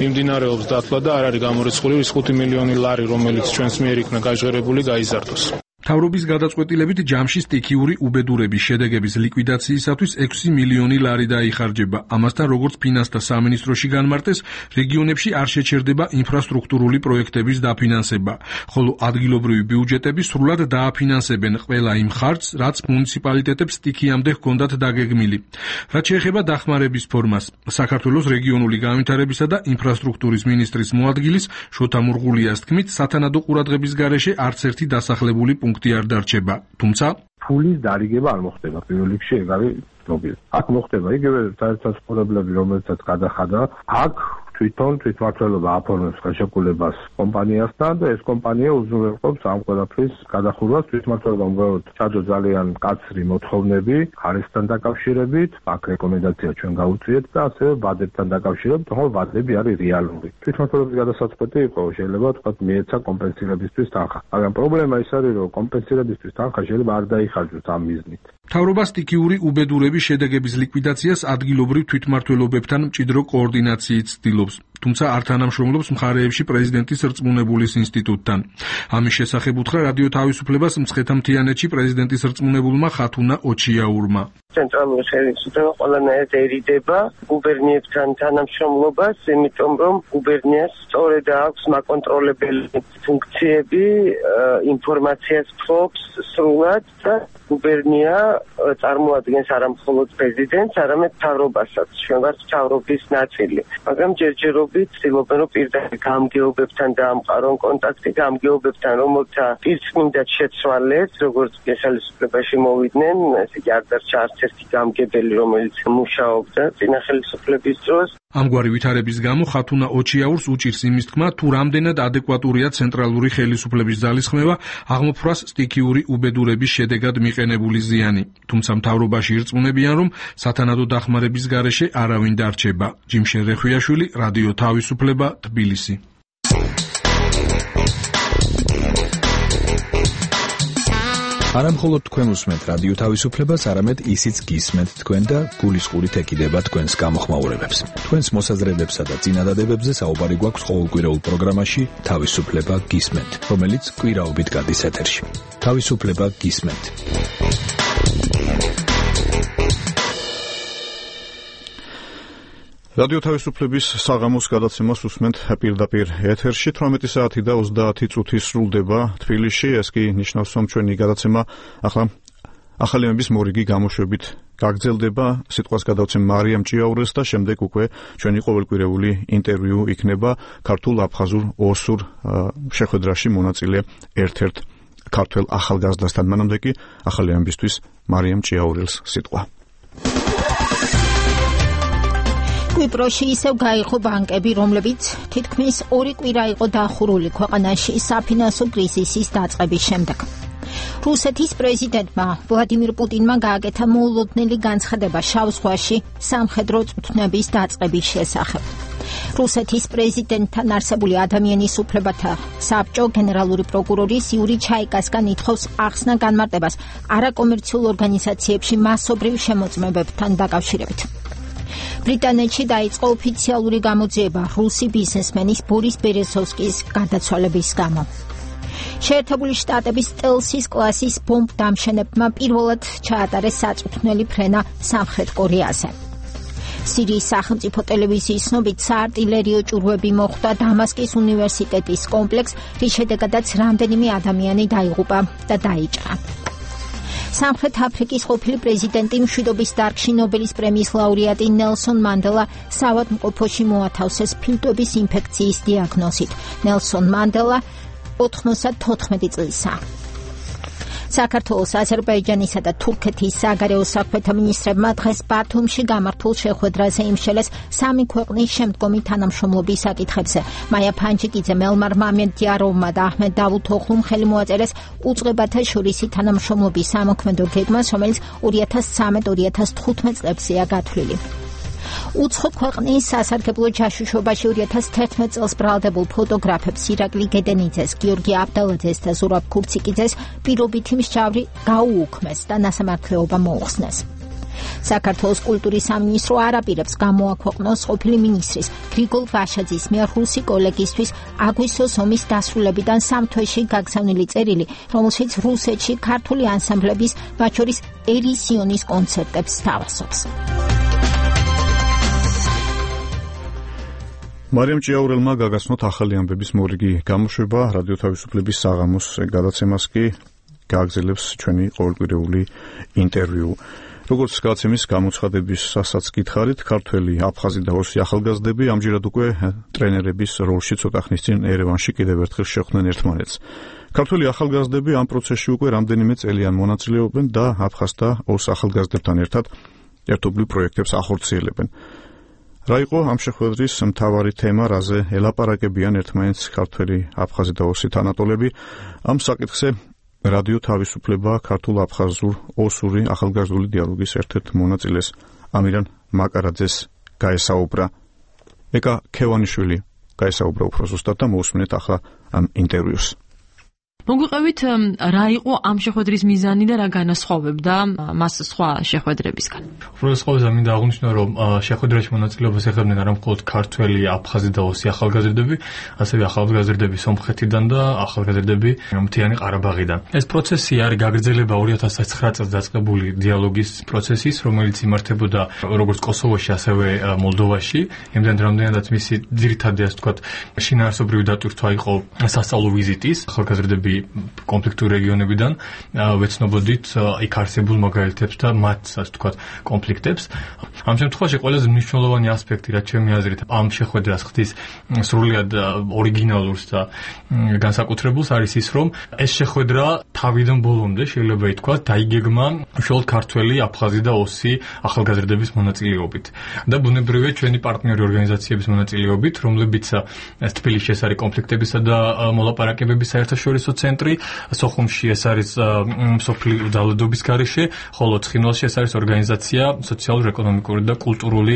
მიმდინარეობს დათვლა და არ არის გამორიცხული ის ხუთი მილიონი ლარი, რომელიც ჩვენს მიერ იქნა გაჟღერებული, გაიზარდოს. მთავრობის გადაწყვეტილებით ჯამში სტიქიური უბედურების შედეგების ლიკვიდაციისათვის ექვსი მილიონი ლარი დაიხარჯება. ამასთან, როგორც ფინანსთა სამინისტროში განმარტეს, რეგიონებში არ შეჩერდება ინფრასტრუქტურული პროექტების დაფინანსება, ხოლო ადგილობრივი ბიუჯეტები სრულად დააფინანსებენ ყველა იმ ხარჯს, რაც მუნიციპალიტეტებს სტიქიამდე ჰქონდათ დაგეგმილი. რაც შეეხება დახმარების ფორმას, საქართველოს რეგიონული განვითარებისა და ინფრასტრუქტურის მინისტრის მოადგილის შოთა მურღულიას თქმით, სათანადო ყურადღების გარეშე არც ერთი დასახლებული პუნქტი არ დარჩება, თუმცა ფულის დარიგება არ მოხდება პირველ რიგში, ეგ არის პრობლემა. აქ მოხდება იგივე საერთაშორისოებები, რომელსაც გადახადა, აქ თვითონ თვითმმართველობა აფორმებს ხელშეკრულებას კომპანიასთან და ეს კომპანია უზრუნველყოფს ამ ყველაფრის გადახურვას. თვითმმართველობა უბრალოდ ჩაჯო ძალიან კაცრი მოთხოვნები ხარისთან დაკავშირებით, აქ რეკომენდაცია ჩვენ გავუწიეთ და ასევე ვადებთან დაკავშირებით, თუმცა ვადები არის რეალური. თვითმმართველობის გადასაწყვეტი იყო, შეიძლება თქვათ მიეცა კომპენსირებისთვის თანხა. მაგრამ პრობლემა ის არის, რომ კომპენსირებისთვის თანხა შეიძლება არ დაიხარჯოს ამ მიზნით. მთავრობა სტიქიური უბედურების შედეგების ლიკვიდაციას ადგილობრივ თვითმმართველობებთან მჭიდრო კოორდინაციით ცდილობს, თუმცა არ თანამშრომლობს მხარეებში პრეზიდენტის რწმუნებულის ინსტიტუტთან. ამის შესახებ უთხრა რადიო თავისუფლებას მცხეთა-მთიანეთში პრეზიდენტის რწმუნებულმა ხათუნა ოჩიაურმა. ცენტრალური ხელისუფლება ყველანაირად ერიდება გუბერნიებთან თანამშრომლობას, იმიტომ რომ გუბერნიას სწორედ აქვს მაკონტროლებელი ფუნქციები, ინფორმაციას ფლობს სრულად და გუბერნია წარმოადგენს არა მხოლოდ პრეზიდენტს, არამედ მთავრობასაც. ჩვენ ვართ მთავრობის ნაწილი. მაგრამ ჯერჯერობით ცდილობენ, რომ პირდაპირ გამგეობებთან დაამყარონ კონტაქტი, გამგეობებთან, რომელთა პირწმინდად შეცვალეს, როგორც ხელისუფლებაში მოვიდნენ, ესე იგი არ დარჩა არც ერთი გამგებელი, რომელიც მუშაობდა წინა ხელისუფლების დროს. ამგვარი ვითარების გამო ხათუნა ოჩიაურს უჭირს იმის თქმა, თუ რამდენად ადეკვატურია ცენტრალური ხელისუფლების ძალისხმევა აღმოფრვას სტიქიური უბედურების შედეგად მიყენებული ზიანი. თუმცა მთავრობაში ირწმუნებიან, რომ სათანადო დახმარების გარეშე არავინ დარჩება. ჯიმშე რეხვიაშვილი, რადიო თავისუფლება, თბილისი. არა მხოლოდ თქვენ უსმენთ რადიო თავისუფლებას, არამედ ისიც გისმენთ თქვენ და გულისყურით ეკიდება თქვენს გამოხმაურებებს. თქვენს მოსაზრებებსა და წინადადებებზე საუბარი გვაქვს ყოველკვირეულ პროგრამაში თავისუფლება გისმენთ, რომელიც კვირაობით გადის ეთერში. თავისუფლება გისმენთ. რადიო თავისუფლების საღამოს გადაცემას უსმენთ პირდაპირ ეთერში. თვრამეტი საათი და ოცდაათი წუთი სრულდება თბილისში. ეს კი ნიშნავს, რომ ჩვენი გადაცემა ახლა ახალიმების მორიგი გამოშვებით გაგრძელდება. სიტყვას გადავცემ მარიამ ჭიაურელს და შემდეგ უკვე ჩვენი ყოველკვირეული ინტერვიუ იქნება ქართულ აფხაზურ ოსურ შეხვედრაში მონაწილე ერთ-ერთ ქართველ ახალგაზრდასთან. მანამდე კი ახალიმებისთვის მარიამ ჭიაურელს სიტყვა. კვიპროსში ისევ გაიყო ბანკები, რომლებიც თითქმის ორი კვირა იყო დახურული ქვეყანაში საფინანსო კრიზისის დაწყების შემდეგ. რუსეთის პრეზიდენტმა ვლადიმირ პუტინმა გააკეთა მოულოდნელი განცხადება შავ ზღვაში სამხედრო წვრთნების დაწყების შესახებ. რუსეთის პრეზიდენტთან არსებული ადამიანის უფლებათა საბჭო გენერალური პროკურორის იური ჩაიკასგან ითხოვს ახსნა განმარტებას არაკომერციულ ორგანიზაციებში მასობრივ შემოწმებებთან დაკავშირებით. ბრიტანეთში დაიწყო ოფიციალური გამოძიება რუსი ბიზნესმენის ბორის ბერეზოვსკის გარდაცვალების გამო. შეერთებული შტატების სტელსის კლასის ბომბ დამშენებმა პირველად ჩაატარეს საწვრთნელი ფრენა სამხრეთ კორეაზე. სირიის სახელმწიფო ტელევიზიის ცნობით საარტილერიო ჭურვები მოხვდა დამასკის უნივერსიტეტის კომპლექსს, რის შედეგადაც რამდენიმე ადამიანი დაიღუპა და დაიჭრა. სამხრეთ აფრიკის ყოფილი პრეზიდენტი მშვიდობის დარგში ნობელის პრემიის ლაურეატი ნელსონ მანდელა საავადმყოფოში მოათავსეს ფილტვების ინფექციის დიაგნოზით. ნელსონ მანდელა ოთხმოცდათოთხმეტი წლისაა. საქართველოს, აზერბაიჯანისა და თურქეთის საგარეო საქმეთა მინისტრებმა დღეს ბათუმში გამართულ შეხვედრაზე იმშელეს სამი ქვეყნის შემდგომი თანამშრომლობის საკითხებზე. მაია ფანჯიკიძე, მელმარ მამედიაროვმა და აჰმედ დავუთოღლუმ ხელი მოაწერეს უწყებათა შორისი თანამშრომლობის სამოქმედო გეგმას, რომელიც ორი ათას ცხრამეტ ორი ათას თხუთმეტ წლებზეა გათვლილი. უცხო ქვეყნის სასარგებლო ჯაშუშობაში ორი ათას თერთმეტ წელს ბრალდებულ ფოტოგრაფებს ირაკლი გედენიძეს, გიორგი აბდალაძეს და ზურაბ ქურციკიძეს პირობითი მსჯავრი გაუუქმეს და ნასამართლეობა მოუხსნეს. საქართველოს კულტურის სამინისტრო არ აპირებს გამოაქვეყნოს ყოფილი მინისტრის გრიგოლ ვაშაძის მიერ რუსი კოლეგისთვის აგვისტოს ომის დასრულებიდან სამ თვეში გაგზავნილი წერილი, რომელშიც რუსეთში ქართული ანსამბლების, მათ შორის ერისიონის კონცერტებს სთავაზობს. მარიამ ჭიაურელმა გაგაცნოთ ახალი ამბების მორიგი გამოშვება. რადიო თავისუფლების საღამოს გადაცემას კი გააგრძელებს ჩვენი ყოველკვირეული ინტერვიუ. როგორც გადაცემის გამოცხადებისასაც გითხარით, ქართველი, აფხაზი და ოსი ახალგაზრდები ამჯერად უკვე ტრენერების როლში ცოტა ხნის წინ ერევანში კიდევ ერთხელ შეხვდნენ ერთმანეთს. ქართველი ახალგაზრდები ამ პროცესში უკვე რამდენიმე წელიან მონაწილეობენ და აფხაზ და ოს ახალგაზრდებთან ერთად ერთობლივ პროექტებს ახორციელებენ. რა იყო ამ შეხვედრის მთავარი თემა, რაზე ელაპარაკებიან ერთმანეთს ქართველი, აფხაზი და ოსი თანატოლები? ამ საკითხზე რადიო თავისუფლება ქართულ აფხაზურ ოსური ახალგაზრდული დიალოგის ერთ-ერთ მონაწილეს ამირან მაკარაძეს გაესაუბრა. ეკა ქევანიშვილი გაესაუბრა უფრო ზუსტად და მოусმინეთ ახლა ამ ინტერვიუს. მოგვიყევით რა იყო ამ შეხვედრის მიზანი და რა განასხვავებდა მას სხვა შეხვედრებისგან. უბრალოდ ყოველზე მინდა აღვნიშნო, რომ შეხვედრაში მონაწილეობას ეხებდნენ არა მხოლოდ ქართველი, აფხაზი და ოსი ახალგაზრდები, ასევე ახალგაზრდები სომხეთიდან და ახალგაზრდები მთიანი ყარაბაღიდან. ეს პროცესი არის გაგრძელება ორი ათას ცხრა წელს დაწყებული დიალოგის პროცესის, რომელიც იმართებოდა როგორც კოსოვოში, ასევე მოლდოვაში. იმდენ რამდენადაც მისი ძირითადი, ასე ვთქვათ, შინაარსობრივი დატვირთვა იყო სასწავლო ვიზიტის ახალგაზრდები კონფლიქტურ რეგიონებიდან ვეცნობოდით იქ არსებულ მაგალითებს და მათ, ასე ვთქვათ, კონფლიქტებს. ამ შემთხვევაში ყველაზე მნიშვნელოვანი ასპექტი, რაც ჩემი აზრით, ამ შეხვედრას ხდის სრულიად ორიგინალურს და განსაკუთრებულს, არის ის, რომ ეს შეხვედრა თავიდან ბოლომდე შეიძლება ითქვას დაიგეგმა უშუალოდ ქართველი, აფხაზი და ოსი ახალგაზრდების მონაწილეობით და ბუნებრივია ჩვენი პარტნიორი ორგანიზაციების მონაწილეობით, რომლებიც თბილისში ეს არის კონფლიქტებისა და მოლაპარაკებების საერთაშორისო ცენტრი, სოხუმში ეს არის სოფლის ძალადობის გარეშე, ხოლო ცხინვალში ეს არის ორგანიზაცია სოციალურ-ეკონომიკური და კულტურული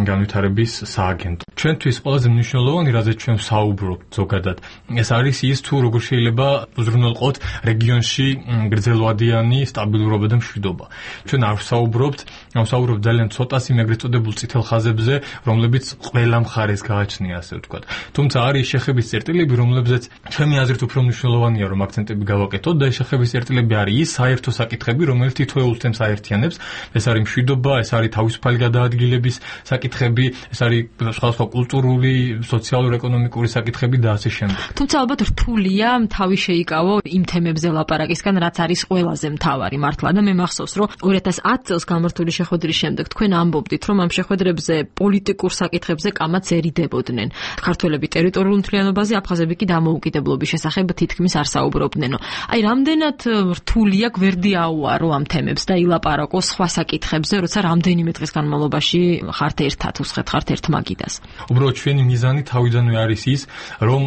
განვითარების სააგენტო. ჩვენთვის ყველაზე მნიშვნელოვანი, რაზეც ჩვენ ვსაუბრობთ ზოგადად, ეს არის ის, თუ როგორ შეიძლება უზრუნველყოთ რეგიონში გრძელვადიანი სტაბილურობა და მშვიდობა. ჩვენ არ ვსაუბრობთ, ვსაუბრობთ ძალიან ცოტას იმ ეგრეთ წოდებულ წითელ ხაზებზე, რომლებიც ყველა მხარეს გააჩნია, ასე ვთქვათ. თუმცა არის შეხების წერტილები, რომლებზეც ჩემი აზრით უფრო მნიშვნელოვანია, რომ აქცენტები გავაკეთოთ და ეს შეხების წერტილები არის ის საერთო საკითხები, რომელიც თითოეულ თემს აერთიანებს. ეს არის მშვიდობა, ეს არის თავისუფალი გადაადგილების საკითხები, ეს არის სხვადასხვა კულტურული, სოციალურ-ეკონომიკური საკითხები და ასე შემდეგ. თუმცა ალბათ რთულია თავი შეიკავო იმ თემებზე ლაპარაკისგან, რაც არის ყველაზე მთავარი მართლა და მე მახსოვს, რომ ორი ათას ათი წელს გამართული შეხვედრის შემდეგ თქვენ ამბობდით, რომ ამ შეხვედრებზე პოლიტიკურ საკითხებზე კამაც ერიდებოდნენ. ქართველები ტერიტორიულ მთლიანობაზე, აფხაზები კი დამოუკიდებლობის შესახებ თითქმის არ საუბრობდნენო. აი, რამდენად რთულია გვერდი აუარო ამ თემებს და ილაპარაკო სხვა საკითხებზე, როცა რამდენიმე დღის განმავლობაში ხართ ერთად, უსხეთ ხართ ერთ მაგიდას. უბრალოდ ჩვენი მიზანი თავიდანვე არის ის, რომ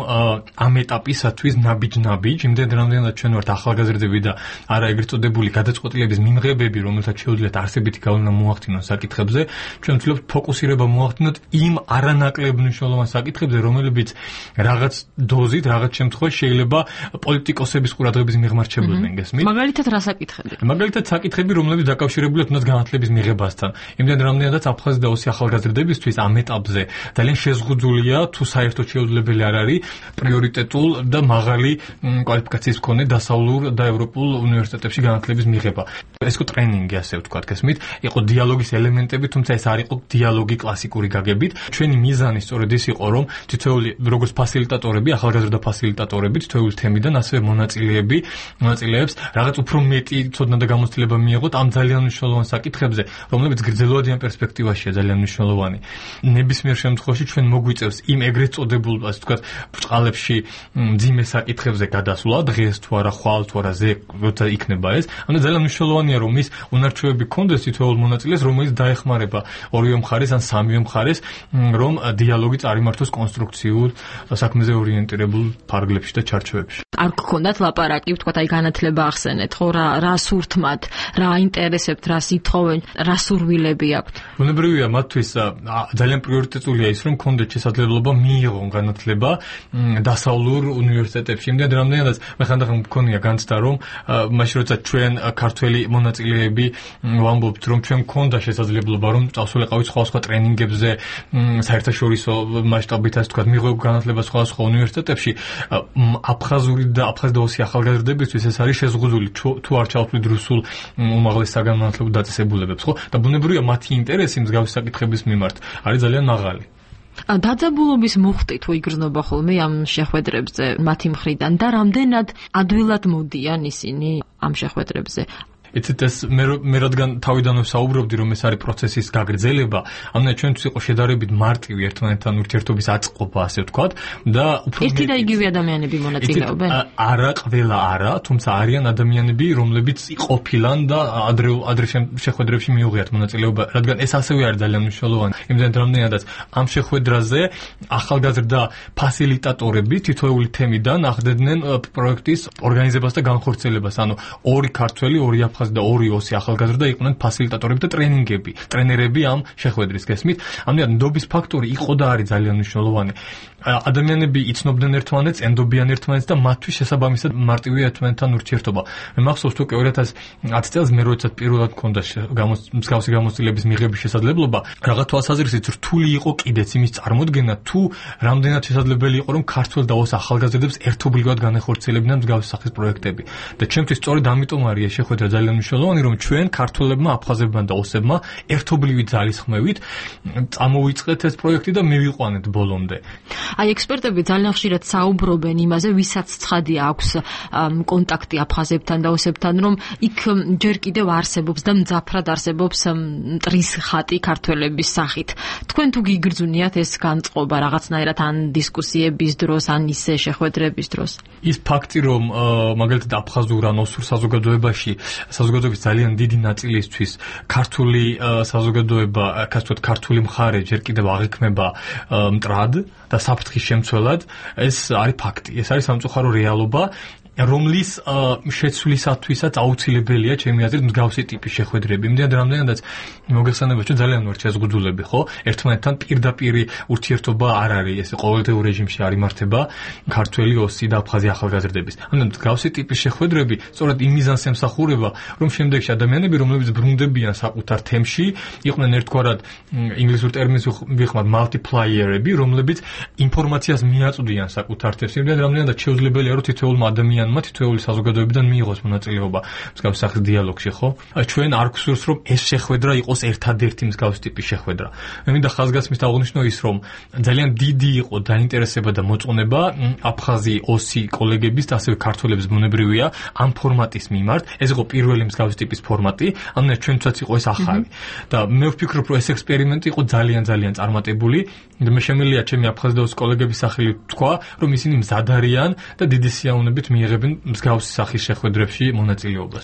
ამ ეტაპისათვის ნაბიჯ-ნაბიჯ, იმდენ რამდენად ჩვენ ვართ ახალგაზრდები და არა ეგრეთ წოდებული გადაწყვეტილების მიმღებები, რომელთაც შეუძლიათ არსებითი გავლენა მოახდინონ საკითხებზე, ჩვენ ვცდილობთ ფოკუსირება მოახდინოთ იმ არანაკლებ მნიშვნელოვან საკითხებზე, რომლებიც რაღაც დოზით, რაღაც შემთხვევაში შეიძლება პოლიტიკოსების ყურადღების მიღმარჩებოდნენ, გესმით? მაგალითად რა საკითხები? მაგალითად საკითხები, რომლებიც დაკავშირებულია თუნდაც განათლების მიღებასთან. იმდენ რამდენადაც აფხაზი და ოსი ახალგაზრდებისთვის ამ ეტაპზე ძალიან შეზღუდულია, თუ საერთოდ შეუძლებელი არ არის პრიორიტეტულ და მაღალი კვალიფიკაციის მქონე დასავლურ და ევროპულ უნივერსიტეტებში განათლების მიღება. ეს იყო ტრენინგი, ასე ვთქვათ, გესმით? იყო დიალოგის ელემენტები, თუმცა ეს არ იყო დიალოგი კლასიკური გაგებით. ჩვენი მიზანი სწორედ ის იყო, რომ თითოეული როგორც ფასილიტატორები, ახალგაზრდა ფასილიტატორები, თითოეული თემიდან ასევე მონაწილეები, მონაწილეებს რაღაც უფრო მეტი ცოდნა და გამოცდილება მიიღოთ ამ ძალიან მნიშვნელოვან საკითხებზე, რომლებიც გრძელვადიან პერსპექტივაშია ძალიან მნიშვნელოვანი. ნებისმიერ შემთხვევაში ჩვენ მოგვიწევს იმ ეგრეთ წოდებულ, ასე ვთქვათ, ბრწყალებში მძიმე საკითხებზე გადასვლა, დღეს თუ არა, ხვალ თუ არა, ზე, როცა იქნება ეს. ანუ ძალიან მნიშვნელოვანია, რომ ის უნარჩვევები კონდეს თითოეულ მონაწილეს, რომელიც დაეხმარება ორივე მხარეს ან სამივე მხარეს, რომ დიალოგი წარიმართოს კონსტრუქციულ, საქმეზე ორიენტირებულ ფარგლებში და ჩარჩოებში. არ გქონდათ ლაპარაკი, ვთქვათ, აი განათლება ახსენეთ, ხო, რა რა სურთმათ, რა აინტერესებთ, რა ითხოვენ, რა სურვილები აქვთ? ბუნებრივია, მათთვის ძალიან პრიორიტეტულია ის, რომ კონდეთ შესაძლებლობა მიიღონ განათლება დასავლურ უნივერსიტეტებში. იმდენ რამდენადაც მე ხანდახან მქონია განცდა, რომ მაშინ როცა ჩვენ ქართველი მონაწილეები ვამბობთ, რომ ჩვენ მქონდა შესაძლებლობა, რომ წავსულიყავით სხვა-სხვა ტრენინგებზე, საერთაშორისო მასშტაბით, ასე ვთქვათ, მიიღო განათლება სხვა-სხვა უნივერსიტეტებში, აფხაზური და აფხაზი და ოსი ახალგაზრდებისთვის ეს არის შეზღუდული, თუ არ ჩავთვლით რუსულ უმაღლეს საგანმანათლებლო დაწესებულებებს, ხო? და ბუნებრივია, მათი ინტერესი მსგავსი საკითხების მიმართ არის ძალიან მაღალი. დაძაბულობის მუხტი თუ იგრძნობა ხოლმე ამ შეხვედრებზე მათი მხრიდან და რამდენად ადვილად მოდიან ისინი ამ შეხვედრებზე? იცით ეს მე მე რადგან თავიდანვე საუბრობდი, რომ ეს არის პროცესის გაგრძელება, ამიტომ ჩვენთვის იყო შედარებით მარტივი ერთმანეთთან ურთიერთობის აწყობა, ასე ვთქვათ, და უფრო ერთი და იგივე ადამიანები მონაწილეობენ? არა, ყველა არა, თუმცა არიან ადამიანები, რომლებიც ყოფილან და ადრე ადრე შეხვედრებში მიუღიათ მონაწილეობა, რადგან ეს ასევე არის ძალიან მნიშვნელოვანი. იმდენ რამდენადაც ამ შეხვედრაზე ახალგაზრდა ფასილიტატორები თითოეული თემიდან ახდედნენ პროექტის ორგანიზებას და განხორციელებას, ანუ ორი ქართველი, ორი აფხაზი და ორი ოსი ახალგაზრდა იყვნენ ფასილიტატორები და ტრენინგები, ტრენერები ამ შეხვედრის, გესმით? ამიტომ ნდობის ფაქტორი იყო და არის ძალიან მნიშვნელოვანი. ადამიანები იცნობდნენ ერთმანეთს, ენდობიან ერთმანეთს და მათთვის შესაბამისად მარტივია ერთმანეთთან ურთიერთობა. მე მახსოვს თუ ორი ათას ათი წელს მე როდესაც პირველად მქონდა მსგავსი გამოცდილების მიღების შესაძლებლობა, რაღაც თვალსაზრისით რთული იყო კიდეც იმის წარმოდგენა, თუ რამდენად შესაძლებელი იყო, რომ ქართველ და ოს ახალგაზრდებს ერთობლივად განეხორციელებინათ მსგავსი სახის პროექტები. და ჩემთვის სწორედ ამიტომ არის შეხვედრა ძალიან მნიშვნელოვანი, რომ ჩვენ ქართველებმა, აფხაზებმა და ოსებმა ერთობლივი ძალისხმევით წამოვიწყეთ ეს პროექტი და მივიყვანეთ ბოლომდე. აი, ექსპერტები ძალიან ხშირად საუბრობენ იმაზე, ვისაც ცხადია აქვს კონტაქტი აფხაზებთან და ოსებთან, რომ იქ ჯერ კიდევ არსებობს და მძაფრად არსებობს მტრის ხატი ქართველების სახით. თქვენ თუ გიგრძვნიათ ეს განწყობა რაღაცნაირად ან დისკუსიების დროს, ან ისე შეხვედრების დროს? ის ფაქტი, რომ მაგალითად აფხაზურ ან ოსურ საზოგადოებაში საზოგადოების ძალიან დიდი ნაწილისთვის ქართული საზოგადოება, ასე ვთქვათ, ქართული მხარე ჯერ კიდევ აღიქმება მტრად და საფრთხის შემცველად, ეს არის ფაქტი. ეს არის სამწუხარო რეალობა. რომლის შეცვლისათვისაც აუცილებელია ჩემი აზრით მსგავსი ტიპის შეხვედრები. იმდენად რამდენადაც მოგეხსენება ჩვენ ძალიან ვართ შეზღუდულები, ხო? ერთმანეთთან პირდაპირი ურთიერთობა არ არის, ესე ყოველდღიურ რეჟიმში არ იმართება ქართველი ოსი და აფხაზი ახალგაზრდების. ანუ მსგავსი ტიპის შეხვედრები სწორედ იმ მიზანს ემსახურება, რომ შემდეგში ადამიანები, რომლებიც ბრუნდებიან საკუთარ თემში, იყვნენ ერთგვარად ინგლისურ ტერმინს ვიხმართ multiplier-ები, რომლებიც ინფორმაციას მიაწვდიან საკუთარ თემს. იმდენად რამდენადაც შეუძლებელია, რომ თითოეულმა ადამიანმა თითოეული საზოგადოებიდან მიიღოს მონაწილეობა მსგავს სახის დიალოგში, ხო? ჩვენ არ გვსურს, რომ ეს შეხვედრა იყოს ერთადერთი მსგავს ტიპის შეხვედრა. მე მინდა ხაზგასმით აღვნიშნო ის, რომ ძალიან დიდი იყო დაინტერესება და მოწონება აფხაზი ოსი კოლეგების და ასევე ქართველების ბუნებრივია ამ ფორმატის მიმართ. ეს იყო პირველი მსგავს ტიპის ფორმატი, ანუ ჩვენთვისაც იყო ეს ახალი. და მე ვფიქრობ, რომ ეს ექსპერიმენტი იყო ძალიან ძალიან წარმატებული და მე შემიძლია ჩემი აფხაზი და ოსი კოლეგების სახელით თქვა, რომ ისინი მზად არიან და დიდი სიამოვნებით მიიღებენ მსგავსი სახის შეხვედრებში მონაწილეობას.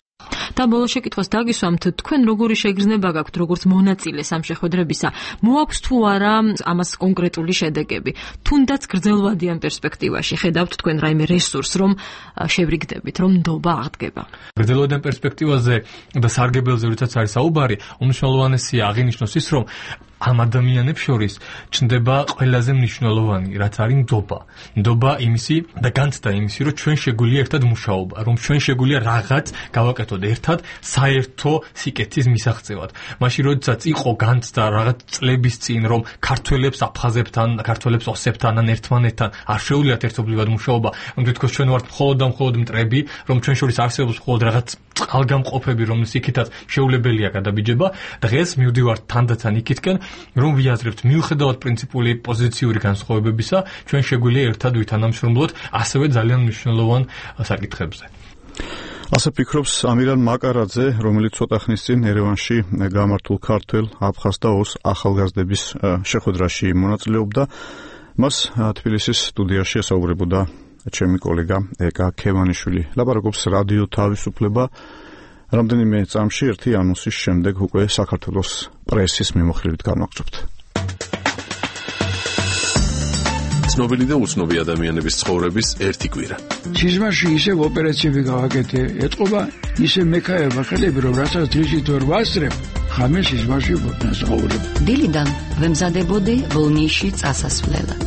და ბოლო შეკითხვას დაგისვამთ, თქვენ როგორი შეგრძნება გაქვთ როგორც მონაწილეს ამ შეხვედრებისა? მოაქვს თუ არა ამას კონკრეტული შედეგები? თუნდაც გრძელვადიან პერსპექტივაში ხედავთ თქვენ რაიმე რესურს, რომ შევრიგდებით, რომ ნდობა აღდგება? გრძელვადიან პერსპექტივაზე და სარგებელზე როდესაც არის საუბარი, უმნიშვნელოვანესია აღინიშნოს ის, რომ ამ ადამიანებს შორის ჩნდება ყველაზე მნიშვნელოვანი, რაც არის ნდობა. ნდობა იმისი და განცდა იმისი, რომ ჩვენ შეგვიძლია ერთად მუშაობა, რომ ჩვენ შეგვიძლია რაღაც გავაკეთოთ ერთად საერთო სიკეთის მისაღწევად. მაშინ როდესაც იყო განცდა რაღაც წლების წინ, რომ ქართველებს აფხაზებთან, ქართველებს ოსებთან ან ერთმანეთთან არ შეუძლიათ ერთობლივად მუშაობა, რომ თითქოს ჩვენ ვართ მხოლოდ და მხოლოდ მტრები, რომ ჩვენ შორის არსებობს მხოლოდ რაღაც წყალგამყოფები, რომლის იქითაც შეუძლებელია გადაბიჯება. დღეს მივდივართ თანდათან იქითკენ, რომ ვიაზრებთ მიუხედავად პრინციპული პოზიციური განსხვავებებისა, ჩვენ შეგვიძლია ერთად ვითანამშრომლოთ ასევე ძალიან მნიშვნელოვან საკითხებზე. ასე ფიქრობს ამირან მაკარაძე, რომელიც ცოტა ხნის წინ ერევანში გამართულ ქართველ, აფხაზ და ოს ახალგაზრდების შეხვედრაში მონაწილეობდა. მას თბილისის სტუდიაში ესაუბრებოდა ჩემი კოლეგა ეკა ქევანიშვილი. ლაპარაკობს რადიო თავისუფლება. რამდენიმე წამში ერთი ანონსის შემდეგ უკვე საქართველოს პრესის მიმოხილვით განვაგრძობთ. ცნობილი და უცნობი ადამიანების ცხოვრების ერთი კვირა. სიზმარში ისევ ოპერაციები გავაკეთე, ეთყობა ისევ მექაება ხელები, რომ რასაც დრიჟით ვერ ვასწრებ, ხამე სიზმარში ვსაუბრებ. დილიდან ვემზადებოდი ბოლნისში წასასვლელად.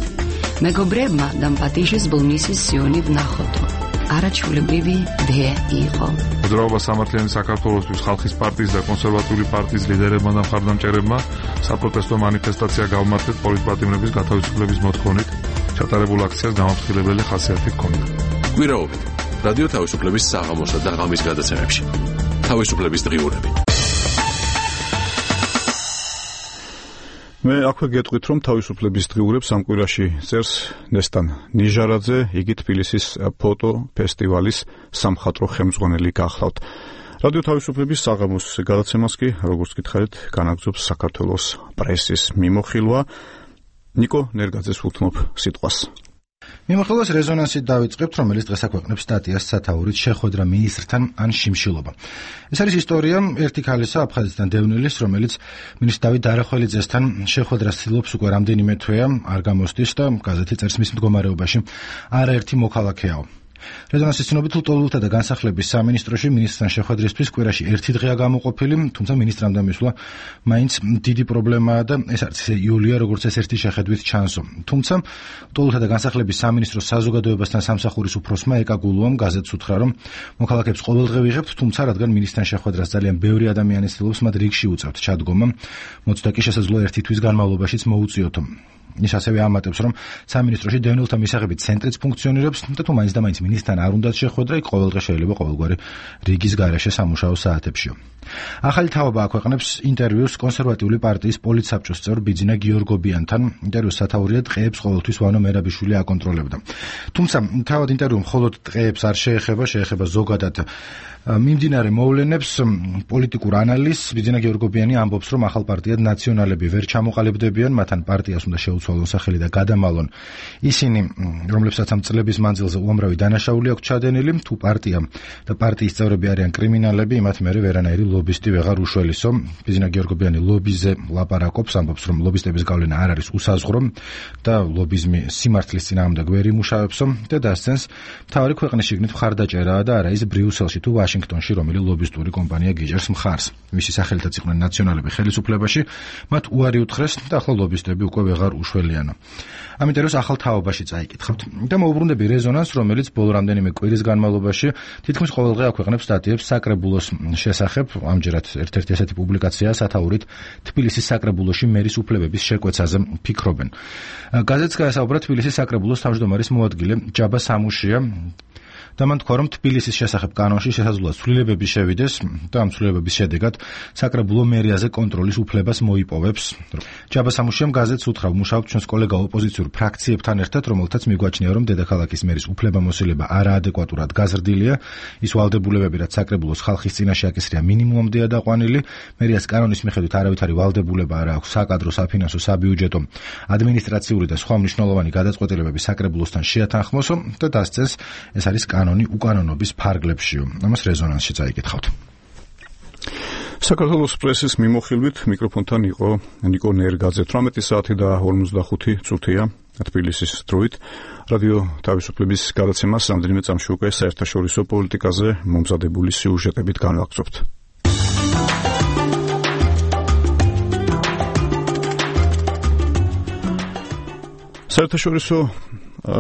მეგობრებმა დამპატიჟეს ბოლნისის სიონი ვნახოდო. არაჩვეულებრივი დე იყო. მოძრაობა სამართლიანი საქართველოსთვის ხალხის პარტიის და კონსერვატიული პარტიის ლიდერებმა და მხარდამჭერებმა საპროტესტო მანიფესტაცია გავმართეთ პოლიტპატიმრების გათავისუფლების მოთხოვნით. ჩატარებულ აქციას გამაფრთხილებელი ხასიათი ჰქონდა. კვირაობით რადიო თავისუფლების საღამოსა და ღამის გადაცემებში. თავისუფლების დღიურები. მე აქვე გეტყვით, რომ თავისუფლების დღიურებს ამ კვირაში წერს ნესტან ნიჟარაძე, იგი თბილისის ფოტო ფესტივალის სამხატვრო ხელმძღვანელი გახლავთ. რადიო თავისუფლების საღამოს გადაცემას კი, როგორც გითხარით, განაგრძობს საქართველოს პრესის მიმოხილვა. ნიკო ნერგაძეს ვუთმობ სიტყვას. მიმოხილვას რეზონანსით დავიწყებთ, რომელიც დღეს აქვეყნებს სტატიას სათაურით შეხვედრა მინისტრთან ან შიმშილობა. ეს არის ისტორია ერთი ქალისა აფხაზეთიდან დევნილის, რომელიც მინისტრ დავით დარახველიძესთან შეხვედრას ცდილობს უკვე რამდენიმე თვეა, არ გამოსდის და გაზეთი წერს მის მდგომარეობაში არაერთი მოქალაქეაო. რეზონანსის ცნობით ლტოლვილთა და განსახლების სამინისტროში მინისტრთან შეხვედრისთვის კვირაში ერთი დღეა გამოყოფილი, თუმცა მინისტრამდე მისვლა მაინც დიდი პრობლემაა და ეს არც იულია, როგორც ეს ერთი შეხედვით ჩანსო. თუმცა ლტოლვილთა და განსახლების სამინისტროს საზოგადოებასთან სამსახურის უფროსმა ეკა გულუამ გაზეთს უთხრა, რომ მოქალაქეებს ყოველდღე ვიღებთ, თუმცა რადგან მინისტრთან შეხვედრას ძალიან ბევრი ადამიანი ცდილობს, მათ რიგში უწევთ ჩადგომა, მოცდა კი შესაძლოა ერთი თვის განმავლობაშიც მოუწიოთო. ის ასევე ამატებს, რომ სამინისტროში დევნილთა მისაღებით ცენტრიც ფუნქციონირებს და თუ მაინც და მაინც მინისტრთან არ უნდათ შეხვედრა, იქ ყოველდღე შეიძლება ყოველგვარი რიგის გარეშე სამუშაო საათებშიო. ახალი თავობა აქვეყნებს ინტერვიუს კონსერვატიული პარტიის პოლიტსაბჭოს წევრ ბიძინა გიორგობიანთან. ინტერვიუს სათაურია ტყეებს ყოველთვის ვანო მერაბიშვილი აკონტროლებდა. თუმცა თავად ინტერვიუ მხოლოდ ტყეებს არ შეეხება, შეეხება ზოგადად მიმდინარე მოვლენებს, პოლიტიკურ ანალიზს. ბიძინა გიორგობიანი ამბობს, რომ ახალ პარტიად ნაციონალები ვერ ჩამოყალიბდებიან, მათთან პარტიას უნდა შეუცვალონ სახელი და გადამალონ ისინი, რომლებსაც ამ წლების მანძილზე უამრავი დანაშაული აქვს ჩადენილი. თუ პარტია და პარტიის წევრები არიან კრიმინალები, იმათ მერე ვერანაირი ლობისტი ვეღარ უშველისო. ბიზნა გიორგობიანი ლობიზე ლაპარაკობს, ამბობს, რომ ლობისტების გავლენა არ არის უსაზღვრო და ლობიზმი სიმართლის წინააღმდეგ ვერ იმუშავებსო და დასცენს მთავარი ქვეყნის შიგნით მხარდაჭერაა და არა ის ბრიუსელში თუ ვაშინგტონში რომელი ლობისტური კომპანია გიჯერს მხარს. მისი სახელითაც იყვნენ ნაციონალები ხელისუფლებაში, მათ უარი უთხრეს და ახლა ლობისტები უკვე ვეღარ უშველიანო. ამ ინტერვიუს ახალ თაობაში წაიკითხავთ და მოუბრუნდები რეზონანსს, რომელიც ბოლო რამდენიმე კვირის განმავლობაში თითქმის ყოველდღე აქვეყნებს სტატიებს საკრებულოს შესახებ. ამჯერად ერთ-ერთი ესეთი პუბლიკაცია სათაურით თბილისის საკრებულოში მერის უფლებების შეკვეცაზე ფიქრობენ. გაზეთს გაესაუბრა თბილისის საკრებულოს თავმჯდომარის მოადგილე ჯაბა სამუშია და მან თქვა, რომ თბილისის შესახებ კანონში შესაძლოა ცვლილებები შევიდეს და ამ ცვლილებების შედეგად საკრებულო მერიაზე კონტროლის უფლებას მოიპოვებს. ჯაბა სამუშიამ გაზეთს უთხრა, ვმუშაობთ ჩვენს კოლეგა ოპოზიციურ ფრაქციებთან ერთად, რომელთაც მიგვაჩნია, რომ დედაქალაქის მერის უფლებამოსილება არაადეკვატურად გაზრდილია. ის ვალდებულებები, რაც საკრებულოს ხალხის წინაშე აკისრია, მინიმუმამდეა დაყვანილი. მერიას კანონის მიხედვით არავითარი ვალდებულება არ აქვს საკადრო, საფინანსო, საბიუჯეტო, ადმინისტრაციული და სხვა მნიშვნელოვანი გადაწყვეტილებები საკრებულოსთან შეათანხმოსო და დასცენს, ეს არის კანონი უკანონობის ფარგლებშიო. ამას რეზონანსში წაიკითხავთ. საქართველოს პრესის მიმოხილვით მიკროფონთან იყო ნიკო ნერგაძე. თვრამეტი საათი და ორმოცდახუთი წუთია თბილისის დროით. რადიო თავისუფლების გადაცემას რამდენიმე წამში უკვე საერთაშორისო პოლიტიკაზე მომზადებული სიუჟეტებით განვაგრძობთ. საერთაშორისო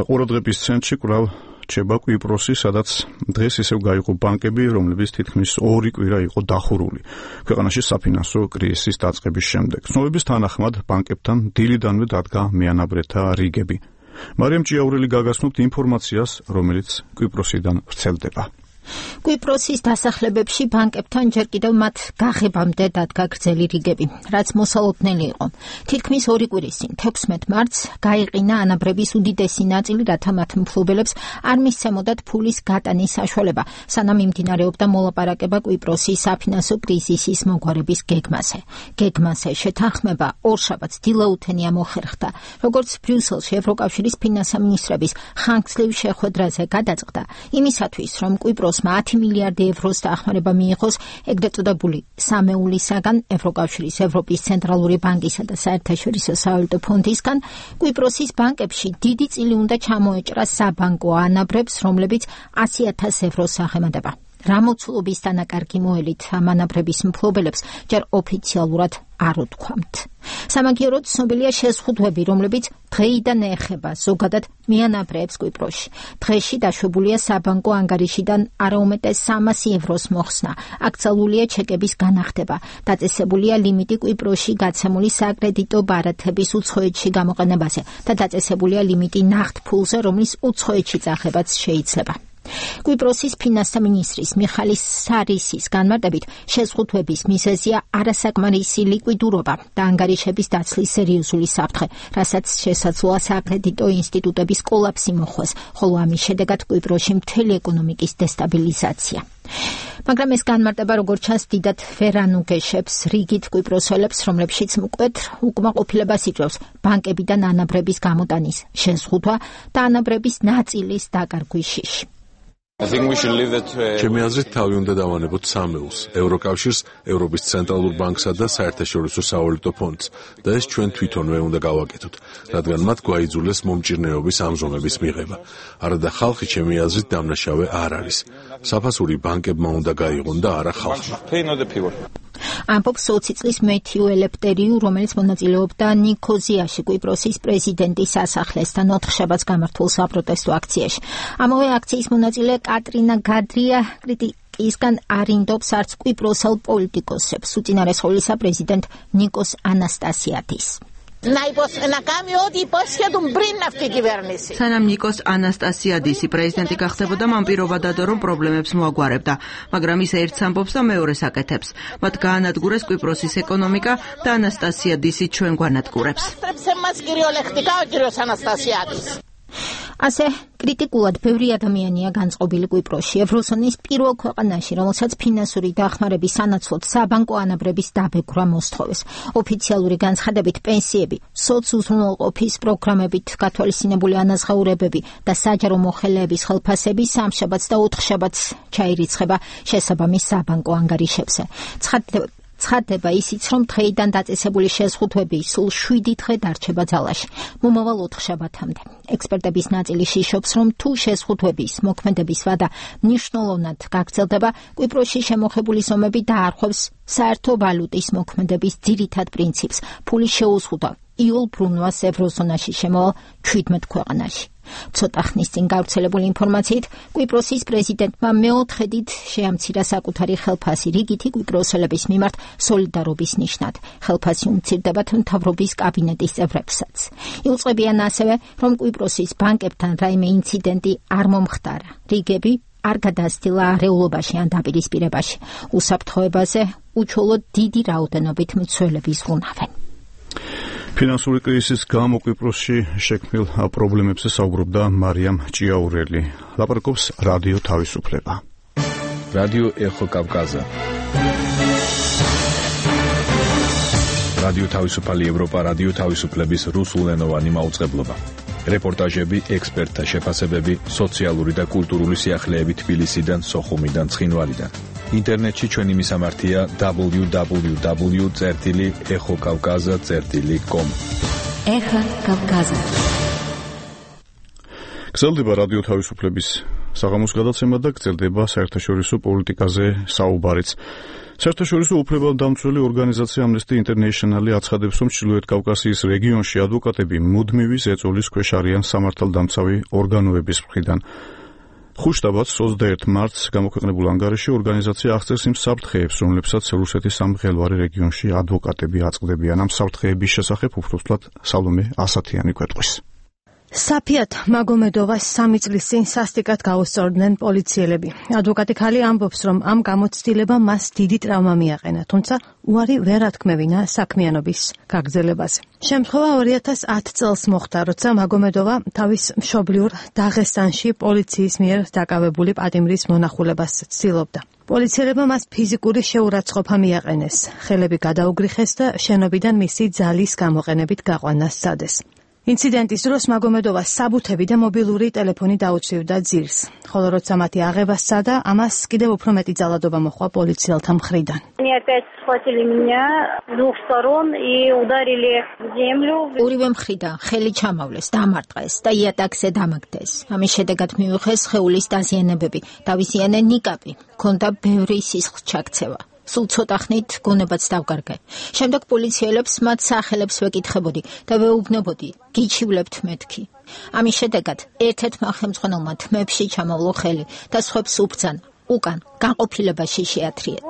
ყურადღების ცენტრში კვლავ რჩება კვიპროსი, სადაც დღეს ისევ გაიყო ბანკები, რომლებიც თითქმის ორი კვირა იყო დახურული ქვეყანაში საფინანსო კრიზისის დაწყების შემდეგ. ცნობების თანახმად ბანკებთან დილიდანვე დადგა მეანაბრეთა რიგები. მარიამ ჭიაურელი გაგაცნობთ ინფორმაციას, რომელიც კვიპროსიდან ვრცელდება. კვიპროსის დასახლებებში ბანკებთან ჯერ კიდევ მათ გაღებამდე დადგა გრძელი რიგები, რაც მოსალოდნელი იყო. თითქმის ორი კვირის წინ, თექვსმეტ მარტს, გაიყინა ანაბრების უდიდესი ნაწილი, რათა მათ მფლობელებს არ მისცემოდათ ფულის გატანის საშუალება, სანამ მიმდინარეობდა მოლაპარაკება კვიპროსის საფინანსო კრიზისის მოგვარების გეგმაზე. გეგმაზე შეთანხმება ორშაბათს დილაუთენია მოხერხდა, როგორც ბრიუსელში ევროკავშირის ფინანსთა მინისტრების ხანგრძლივ შეხვედრაზე გადაწყდა, იმისათვის, რომ კვიპროს ათი მილიარდი ევროს დახმარება მიიღოს ეგრეთ წოდებული სამეულისაგან, ევროკავშირის, ევროპის ცენტრალური ბანკისა და საერთაშორისო სავალუტო ფონდისგან, კვიპროსის ბანკებში დიდი წილი უნდა ჩამოეჭრა საბანკო ანაბრებს, რომლებიც ასი ათას ევროს აღემატება. რა მოცულობის დანაკარგი მოელით ამ ანაბრების მფლობელებს ჯერ ოფიციალურად არ უთქვამთ. სამაგიეროდ ცნობილია შეზღუდვები, რომლებიც დღეიდან ეხება ზოგადად მეანაბრეებს კვიპროსში. დღეში დაშვებულია საბანკო ანგარიშიდან არაუმეტეს სამასი ევროს მოხსნა. აკრძალულია ჩეკების განახდება. დაწესებულია ლიმიტი კვიპროსში გაცემული საკრედიტო ბარათების უცხოეთში გამოყენებაზე და დაწესებულია ლიმიტი ნახტ ფულზე, რომლის უცხოეთში წახებაც შეიძლება. კვიპროსის ფინანსთა მინისტრის მიხალის სარისის განმარტებით, შეზღუდვების მიზეზია არასაკმარისი ლიკვიდურობა და ანგარიშების დაცლის სერიოზული საფრთხე, რასაც შესაძლოა საკრედიტო ინსტიტუტების კოლაფსი მოხდეს, ხოლო ამის შედეგად კვიპროსში მთელი ეკონომიკის დესტაბილიზაცია. მაგრამ ეს განმარტება როგორც ჩანს დიდად ვერ ანუგეშებს რიგით კვიპროსელებს, რომლებშიც მკვეთრ უკმაყოფილებას იწვევს ბანკებიდან ანაბრების გამოტანის შეზღუდვა და ანაბრების ნაწილის დაკარგვის შიში. ჩემი აზრით თავი უნდა დავანებოთ სამეულს, ევროკავშირს, ევროპის ცენტრალურ ბანკსა და საერთაშორისო სავალუტო ფონდს და ეს ჩვენ თვითონვე უნდა გავაკეთოთ, რადგან მათ გვაიძულეს მომჭირნეობის ამჟომების მიღება. არადა ხალხი ჩემი აზრით დამნაშავე არ არის. საფასური ბანკებმა უნდა გაიღონ და არა ხალხმა. ამბობს ოცი წლის მეთიუ ელეფტერიუ, რომელიც მონაწილეობდა ნიქოზიაში კვიპროსის პრეზიდენტის სასახლესთან ოთხშაბათს გამართულ საპროტესტო აქციაში. ამავე აქციის მონაწილე კატრინა გადრია კრიტიკისგან არინდობს არც კვიპროსელ პოლიტიკოსებს, უწინარეს ყოვლისა პრეზიდენტ ნიკოს ანასტასიადის. სანამ ნიკოს ანასტასიადისი პრეზიდენტი გახდებოდა, მან პირობა დადო, რომ პრობლემებს მოაგვარებდა, მაგრამ ის ერთს ამბობს და მეორეს აკეთებს. მათ გაანადგურეს კვიპროსის ეკონომიკა და ანასტასიადისი ჩვენ გვანადგურებს. ასე კრიტიკულად ბევრი ადამიანია განწყობილი კვიპროსში, ევროზონის პირველ ქვეყანაში, რომელსაც ფინანსური დახმარების სანაცვლოდ საბანკო ანაბრების დაბეგვრა მოსთხოვეს. ოფიციალური განცხადებით პენსიები, სოციუზრუნველყოფის პროგრამებით გათვალისწინებული ანაზღაურებები და საჯარო მოხელეების ხელფასები სამშაბათს და ოთხშაბათს ჩაირიცხება შესაბამის საბანკო ანგარიშებზე. ცხადდება ისიც, რომ დღეიდან დაწესებული შეზღუდვები სულ შვიდი დღე დარჩება ძალაში, მომავალ ოთხშაბათამდე. ექსპერტების ნაწილი შიშობს, რომ თუ შეზღუდვების მოქმედების ვადა მნიშვნელოვნად გაგრძელდება, კვიპროსში შემოხებული ზომები დაარღვევს საერთო ვალუტის მოქმედების ძირითად პრინციპს, ფულის შეუზღუდვა იულ ბრუნვას ევროზონაში შემოვალ ჩვიდმეტ ქვეყანაში. ცოტა ხნის წინ გავრცელებული ინფორმაციით, კვიპროსის პრეზიდენტმა მეოთხედით შეამცირა საკუთარი ხელფასი რიგითი კვიპროსელების მიმართ სოლიდარობის ნიშნად. ხელფასი უმცირდებათ მთავრობის კაბინეტის წევრებსაც. იუწყებიან ასევე, რომ კვიპროსის ბანკებთან რაიმე ინციდენტი არ მომხდარა. რიგები არ გადასტილა არეულობაში ან დაპირისპირებაში. უსაფრთხოებაზე უჩვეულოდ დიდი რაოდენობით მცველების უნავენ. ფინანსური კრიზისის გამო კვიპროსში შექმნილ პრობლემებზე საუბრობდა მარიამ ჭიაურელი. ლაპარაკობს რადიო თავისუფლება. რადიო ეხო კავკაზა. რადიო თავისუფალი ევროპა რადიო თავისუფლების რუსულენოვანი მაუწყებლობა. რეპორტაჟები, ექსპერტთა შეფასებები, სოციალური და კულტურული სიახლეები თბილისიდან, სოხუმიდან, ცხინვალიდან. ინტერნეტში ჩვენი მისამართია დაბლიუ დაბლიუ დაბლიუ წერტილი ეხო კავკაზა წერტილი კომ. ეხა კავკაზა. გრძელდება რადიო თავისუფლების საღამოს გადაცემა და გრძელდება საერთაშორისო პოლიტიკაზე საუბარიც. საერთაშორისო უფლებადამცველი ორგანიზაცია Amnesty International აცხადებს, რომ ჩრდილოეთ კავკასიის რეგიონში ადვოკატები მუდმივი ზეწოლის ქვეშ არიან სამართალდამცავი ორგანოების მხრიდან. ხუთშაბათს ოცდაერთი მარტს გამოქვეყნებულ ანგარიში ორგანიზაცია აღწერს იმ საფრთხეებს, რომლებსაც რუსეთის სამღელვარე რეგიონში ადვოკატები აწყდებიან. ამ საფრთხეების შესახებ უბრალოდ სალომე ასათიანი გვეტყვის. საფიათ მაგომედოვას სამი წლის წინ სასტიკად გაუსწორდნენ პოლიციელები. ადვოკატი ქალი ამბობს, რომ ამ გამოცდილებამ მას დიდი ტრავმა მიაყენა, თუმცა უარი ვერ ათქმევინა საქმიანობის გაგრძელებაზე. შემთხვევა ორი ათას ათი წელს მოხდა, როცა მაგომედოვა თავის მშობლიურ დაღესტანში პოლიციის მიერ დაკავებული პატიმრის მონახულებას ცდილობდა. პოლიციელებმა მას ფიზიკური შეურაცხყოფა მიაყენეს, ხელები გადაუგრიხეს და შენობიდან მისი ძალის გამოყენებით გაყვანა სცადეს. ინციდენტის დროს მაგომედოვას საბუთები და მობილური ტელეფონი დაუცვივდა ძირს, ხოლო როცა მათი აღება სცადა, ამას კიდევ უფრო მეტი ძალადობა მოჰყვა პოლიციელთა მხრიდან. ორივე მხრიდან ხელი ჩამავლეს, დამარტყეს და იატაკზე დამაგდეს. ამის შედეგად მიუღეს სხეულის დაზიანებები, დავიზიანე ნიკაპი, ჰქონდა ბევრი სისხლს ჩაქცევა. სულ ცოტა ხნით გონებაც დავკარგე. შემდეგ პოლიციელებს მათ სახელებს ვეკითხებოდი და ვეუბნებოდი, გიჩივლებთ მეთქი. ამის შედეგად ერთ-ერთმა ხელმძღვანელმა თმებში ჩამავლო ხელი და სხვებს უბრძანა, უკან განყოფილებაში შეათრიეთ.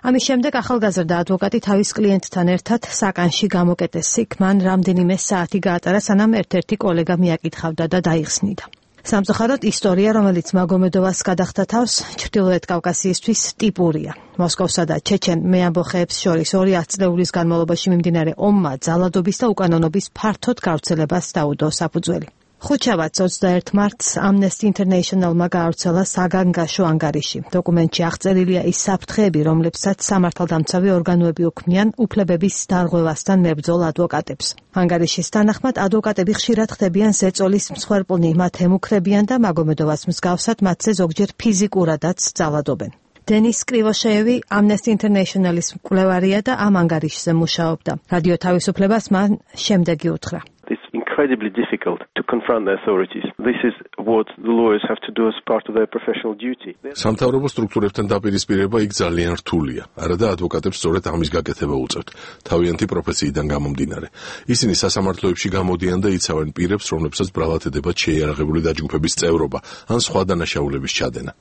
ამის შემდეგ ახალგაზრდა ადვოკატი თავის კლიენტთან ერთად საკანში გამოკეტეს. იქ მან რამდენიმე საათი გაატარა, სანამ ერთ-ერთი კოლეგა მიაკითხავდა და დაიხსნიდა. სამწუხაროდ ისტორია, რომელიც მაგომედოვას გადახდა თავს, ჩრდილოეთ კავკასიისთვის ტიპურია. მოსკოვსა და ჩეჩენ მეამბოხეებს შორის ორი ათწლეულის განმავლობაში მიმდინარე ომმა ძალადობის და უკანონობის ფართოდ გავრცელებას დაუდო საფუძველი. ხუთშაბათს ოცდაერთი მარტს Amnesty International-მა გაავრცელა საგანგაშო ანგარიში. დოკუმენტში აღწერილია ის საფრთხეები, რომლებსაც სამართალდამცავი ორგანოები უქმნიან უფლებების დარღვევასთან მებრძოლ ადვოკატებს. ანგარიშის თანახმად, ადვოკატები ხშირად ხდებიან ზეწოლის მსხვერპლნი, მათ ემუქრებიან და მაგომედოვას მსგავსად მათზე ზოგჯერ ფიზიკურადაც ძალადობენ. დენის კრივოშეევი Amnesty International-ის მკვლევარია და ამ ანგარიშზე მუშაობდა. რადიო თავისუფლებას მან შემდეგი უთხრა. It's incredibly difficult to confront the authorities. This is what the lawyers have to do as part of their professional duty. სამთავრობო სტრუქტურებთან დაპირისპირება იქ ძალიან რთულია. არადა ადვოკატებს სწორედ ამის გაკეთება უწევთ, თავიანთი პროფესიიდან გამომდინარე. ისინი სასამართლოებში გამოდიან და იცავენ პირებს, რომლებსაც ბრალად ედებათ შეიარაღებული დაჯგუფების წევრობა ან სხვა დანაშაულების ჩადენა.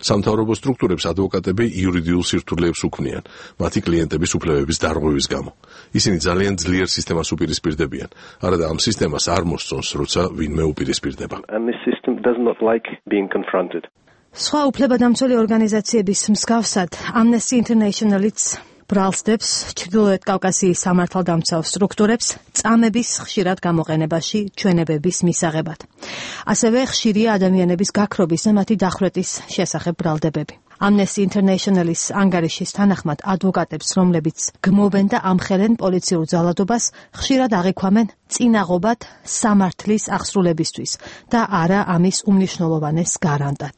სამთავრობო სტრუქტურებს ადვოკატები იურიდიულ სირთულეებს უქმნიან, მათი კლიენტების უფლებების დარღვევის გამო. ისინი ძალიან ძლიერ სისტემას უპირისპირდებიან. არადა ამ სისტემას არ მოსწონს, როცა ვინმე უპირისპირდება. And this system does not like being confronted. სხვა უფლებადამცველი ორგანიზაციების მსგავსად, Amnesty International-იც ბრალსდებს ჩრდილოეთ კავკასიის სამართალდამცავ სტრუქტურებს წამების ხშირად გამოყენებაში ჩვენებების მისაღებად. ასევე ხშირია ადამიანების გაქრობის და მათი დახვრეტის შესახებ ბრალდებები. Amnesty International-ის ანგარიშის თანახმად ადვოკატებს, რომლებიც გმობენ და ამხელენ პოლიციურ ძალადობას, ხშირად აღიქვამენ წინაღობად სამართლის აღსრულებისთვის და არა ამის უმნიშვნელოვანეს გარანტად.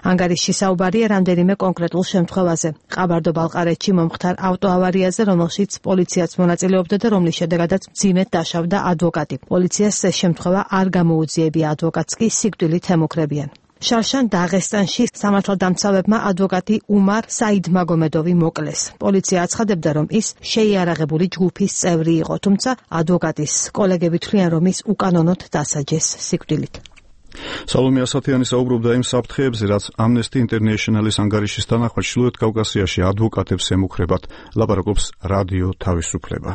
ანგარიშში საუბარია რამდენიმე კონკრეტულ შემთხვევაზე. ყაბარდო-ბალყარეთში მომხდარ ავტოავარიაზე, რომელშიც პოლიციაც მონაწილეობდა და რომლის შედეგადაც მძიმედ დაშავდა ადვოკატი. პოლიციას ეს შემთხვევა არ გამოუძიებია, ადვოკატს კი სიკვდილით ემუქრებიან. შარშან დაღესტანში სამართალდამცავებმა ადვოკატი უმარ საიდმაგომედოვი მოკლეს. პოლიცია აცხადებდა, რომ ის შეიარაღებული ჯგუფის წევრი იყო, თუმცა ადვოკატის კოლეგები თვლიან, რომ ის უკანონოდ დასაჯეს სიკვდილით. სალომე ასათიანი საუბრობდა იმ საფრთხეებზე, რაც Amnesty International-ის ანგარიშის თანახმად ჩრდილოეთ კავკასიაში ადვოკატებს ემუქრებათ, ლაპარაკობს რადიო თავისუფლება.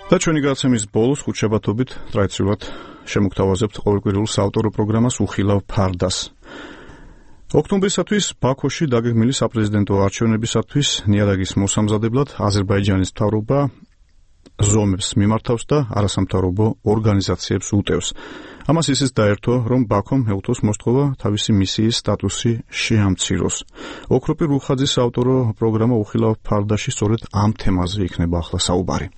და ჩვენი გადაცემის ბოლოს ხუთშაბათობით ტრადიციულად შემოგთავაზებთ ყოველკვირეულ საავტორო პროგრამას უხილავ ფარდას. ოქტომბრისათვის ბაქოში დაგეგმილი საპრეზიდენტო არჩევნებისათვის ნიადაგის მოსამზადებლად აზერბაიჯანის მთავრობა ზომებს მიმართავს და არასამთავრობო ორგანიზაციებს უტევს. ამას ისიც დაერთო, რომ ბაქომ ეუთოს მოსთხოვა თავისი მისიის სტატუსი შეამციროს. ოქროპი რუხაძის საავტორო პროგრამა უხილავ ფარდაში სწორედ ამ თემაზე იქნება ახლა საუბარი.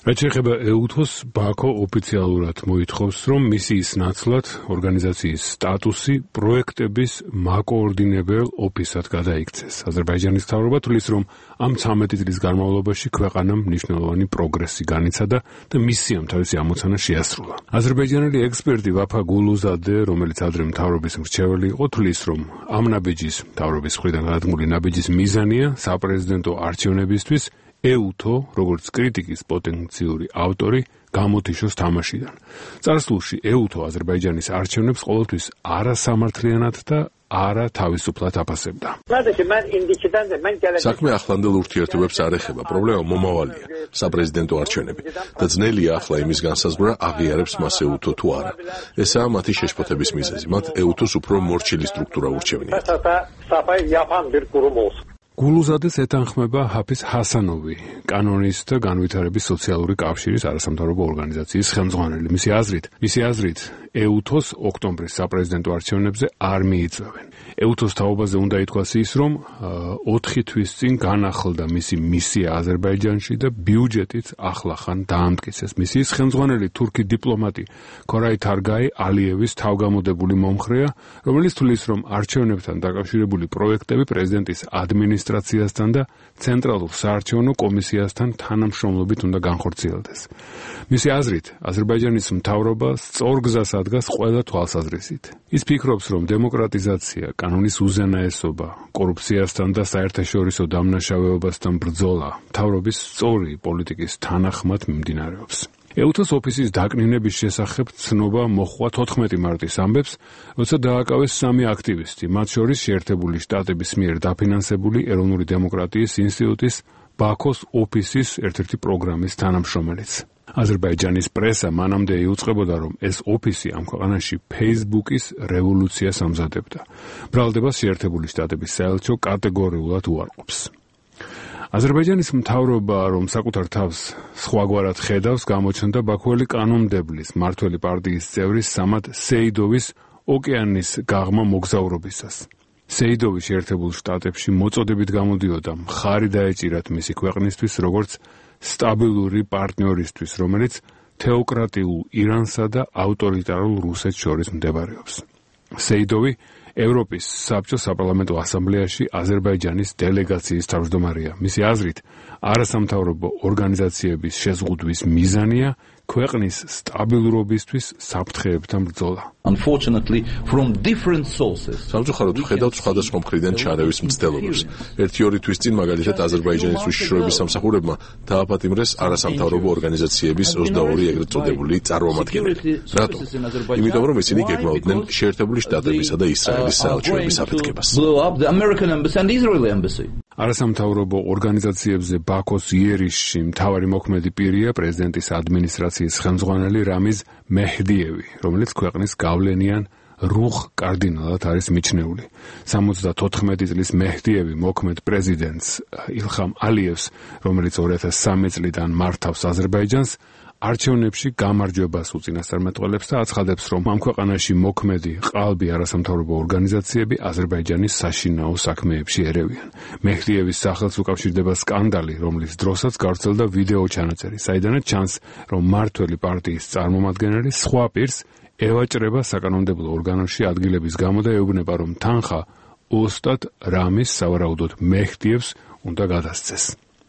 რაც შეეხება ეუთოს, ბაქო ოფიციალურად მოითხოვს, რომ მისიის ნაცვლად ორგანიზაციის სტატუსი პროექტების მაკოორდინებელ ოფისად გადაიქცეს. აზერბაიჯანის მთავრობა თვლის, რომ ამ ცამეტი წლის განმავლობაში ქვეყანამ მნიშვნელოვანი პროგრესი განიცადა და მისიამ თავისი ამოცანა შეასრულა. აზერბაიჯანელი ექსპერტი ვაფა გულუზადე, რომელიც ადრე მთავრობის მრჩეველი იყო, თვლის, რომ ამ ნაბიჯის მთავრობის მხრიდან გადადგმული ნაბიჯის მიზანია საპრეზიდენტო არჩევნებისთვის ეუთო, როგორც კრიტიკის პოტენციური ავტორი, გამოთიშოს თამაშიდან. წარსულში ეუთო აზერბაიჯანის არჩევნებს ყოველთვის არასამართლიანად და არა თავისუფლად აფასებდა. საქმე ახლანდელ ურთიერთობებს არ ეხება, პრობლემა მომავალია, საპრეზიდენტო არჩევნები და ძნელია ახლა იმის განსაზღვრა აღიარებს მას ეუთო თუ არა. ესაა მათი შეშფოთების მიზეზი. მათ ეუთოს უფრო მორჩილი სტრუქტურა ურჩევნია. გულუზადეს ეთანხმება ჰაფიზ ჰასანოვი, კანონისტთა განვითარების სოციალური კავშირის არასამთავრობო ორგანიზაციის ხელმძღვანელი. მისი აზრით, მისი აზრით, ეუთოს ოქტომბრის საპრეზიდენტო არჩევნებზე არ მიიწვევენ. ეუთოს თაობაზე უნდა ითქვას ის, რომ ოთხი თვის წინ განახლდა მისი მისია აზერბაიჯანში და ბიუჯეტით ახლახან დაამტკიცეს. მისიის ხელმძღვანელი თურქი დიპლომატი ქორაი თარგაი ალიევის თავგამოდებული მომხრეა, რომელიც თვლის, რომ არჩევნებთან დაკავშირებული პროექტები პრეზიდენტის ადმინისტრაციასთან და ცენტრალურ საარჩევნო კომისიასთან თანამშრომლობით უნდა განხორციელდეს. მისი აზრით, აზერბაიჯანის მთავრობა სწორ გზას ადგას ყველა თვალსაზრისით. ის ფიქრობს, რომ დემოკრატიზაცია, კანონის უზენაესობა, კორუფციასთან და საერთაშორისო დამნაშავეობასთან ბრძოლა მთავრობის სწორი პოლიტიკის თანახმად მიმდინარეობს. ეუთოს ოფისის დაკნინების შესახებ ცნობა მოჰყვა თოთხმეტი მარტის ამბებს, როცა დააკავეს სამი აქტივისტი, მათ შორის შეერთებული შტატების მიერ დაფინანსებული ეროვნული დემოკრატიის ინსტიტუტის ბაქოს ოფისის ერთ-ერთი პროგრამის თანამშრომელიც. აზერბაიჯანის პრესა მანამდე იუწყებოდა, რომ ეს ოფისი ამ ქვეყანაში Facebook-ის რევოლუციას ამზადებდა. ბრალდებას შეერთებული შტატების საელჩო კატეგორიულად უარყოფს. აზერბაიჯანის მთავრობა, რომ საკუთარ თავს სხვაგვარად ხედავს, გამოჩნდა ბაქოელი კანონმდებლის მმართველი პარტიის წევრის სამად სეიდოვის ოკეანის გაღმა მოგზაურობისას. სეიდოვი შეერთებულ შტატებში მოწოდებით გამოდიოდა მხარი დაეჭირათ მისი ქვეყნისთვის, როგორც სტაბილური პარტნიორისთვის, რომელიც თეოკრატიულ ირანსა და ავტორიტარულ რუსეთს შორის მდებარეობს. სეიდოვი ევროპის საბჭოს საპარლამენტო ასამბლეაში აზერბაიჯანის დელეგაციის თავმჯდომარეა. მისი აზრით, არასამთავრობო ორგანიზაციების შეზღუდვის მიზანია ქვეყნის სტაბილურობისთვის საფრთხეებთან ბრძოლა. Unfortunately, from different sources. სამწუხაროდ ვხედავთ სხვადასხვა მხრიდან ჩარევის მცდელობებს. ერთი-ორი თვის წინ მაგალითად აზერბაიჯანის უშიშროების სამსახურებმა დააპატიმრეს არასამთავრობო ორგანიზაციების ოცდაორი ეგრეთ წოდებული წარმომადგენელი. რატო? იმიტომ რომ ისინი გეგმავდნენ შეერთებული შტატებისა და ისრაელის საელჩოების აფეთქებას. არასამთავრობო ორგანიზაციებზე ბაქოს იერიშში მთავარი მოქმედი პირია პრეზიდენტის ადმინისტრაციის ხელმძღვანელი რამიზ მეჰდიევი, რომელიც ქვეყნის გავლენიან რუხ კარდინალად არის მიჩნეული. სამოცდათოთხმეტი წლის მეჰდიევი მოქმედ პრეზიდენტს ილხამ ალიევს, რომელიც ორი ათას სამი წლიდან მართავს აზერბაიჯანს, არჩევნებში გამარჯვებას უწინასწარმეტყველებს და აცხადებს, რომ ამ ქვეყანაში მოქმედი ყალბი არასამთავრობო ორგანიზაციები აზერბაიჯანის საშინაო საქმეებში ერევიან. მეჰდიევის სახელს უკავშირდება სკანდალი, რომლის დროსაც გავრცელდა ვიდეო ჩანაწერი, საიდანაც ჩანს, რომ მმართველი პარტიის წარმომადგენელი სხვა პირს ევაჭრება საკანონმდებლო ორგანოში ადგილების გამო და ეუბნება, რომ თანხა ოსტატ რამის სავარაუდოდ მეჰდიევს უნდა გადასცეს.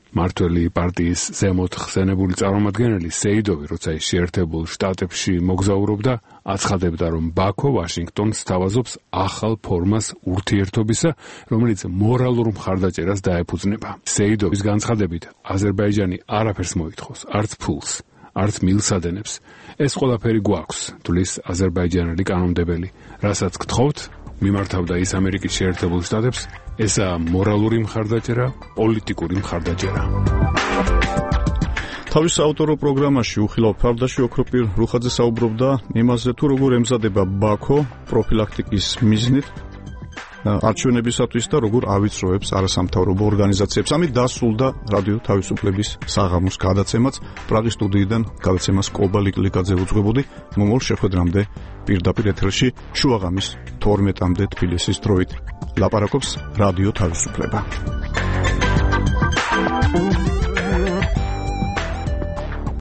მმართველი პარტიის ზემოთ ხსენებული წარმომადგენელი სეიდოვი, როცა ის შეერთებულ შტატებში მოგზაურობდა, აცხადებდა, რომ ბაქო ვაშინგტონს სთავაზობს ახალ ფორმას ურთიერთობისა, რომელიც მორალურ მხარდაჭერას დაეფუძნება. სეიდოვის განცხადებით, აზერბაიჯანი არაფერს მოითხოვს, არც ფულს, არც მილსადენებს. ეს ყველაფერი გვაქვს, თulis აზერბაიჯანელი კანონმდებელი. რასაც გთხოვთ, მიმართავდა ის ამერიკის შეერთებულ შტატებს, ესაა მორალური მხარდაჭერა, პოლიტიკური მხარდაჭერა. თავის საავტორო პროგრამაში უხილავ ფარდაში ოქროპირ რუხაძე საუბრობდა იმაზე, თუ როგორ ემზადება ბაქო პროფილაქტიკის მიზნით არჩევნებისათვის და როგორ ავიწროებს არასამთავრობო ორგანიზაციებს. ამით დასრულდა რადიო თავისუფლების საღამოს გადაცემაც. პრაღის სტუდიიდან გადაცემას კობა ლიკლიკაძე უძღვებოდი. მომავალ შეხვედრამდე პირდაპირ ეთერში შუაღამის თორმეტამდე თბილისის დროით. ლაპარაკობს რადიო თავისუფლება.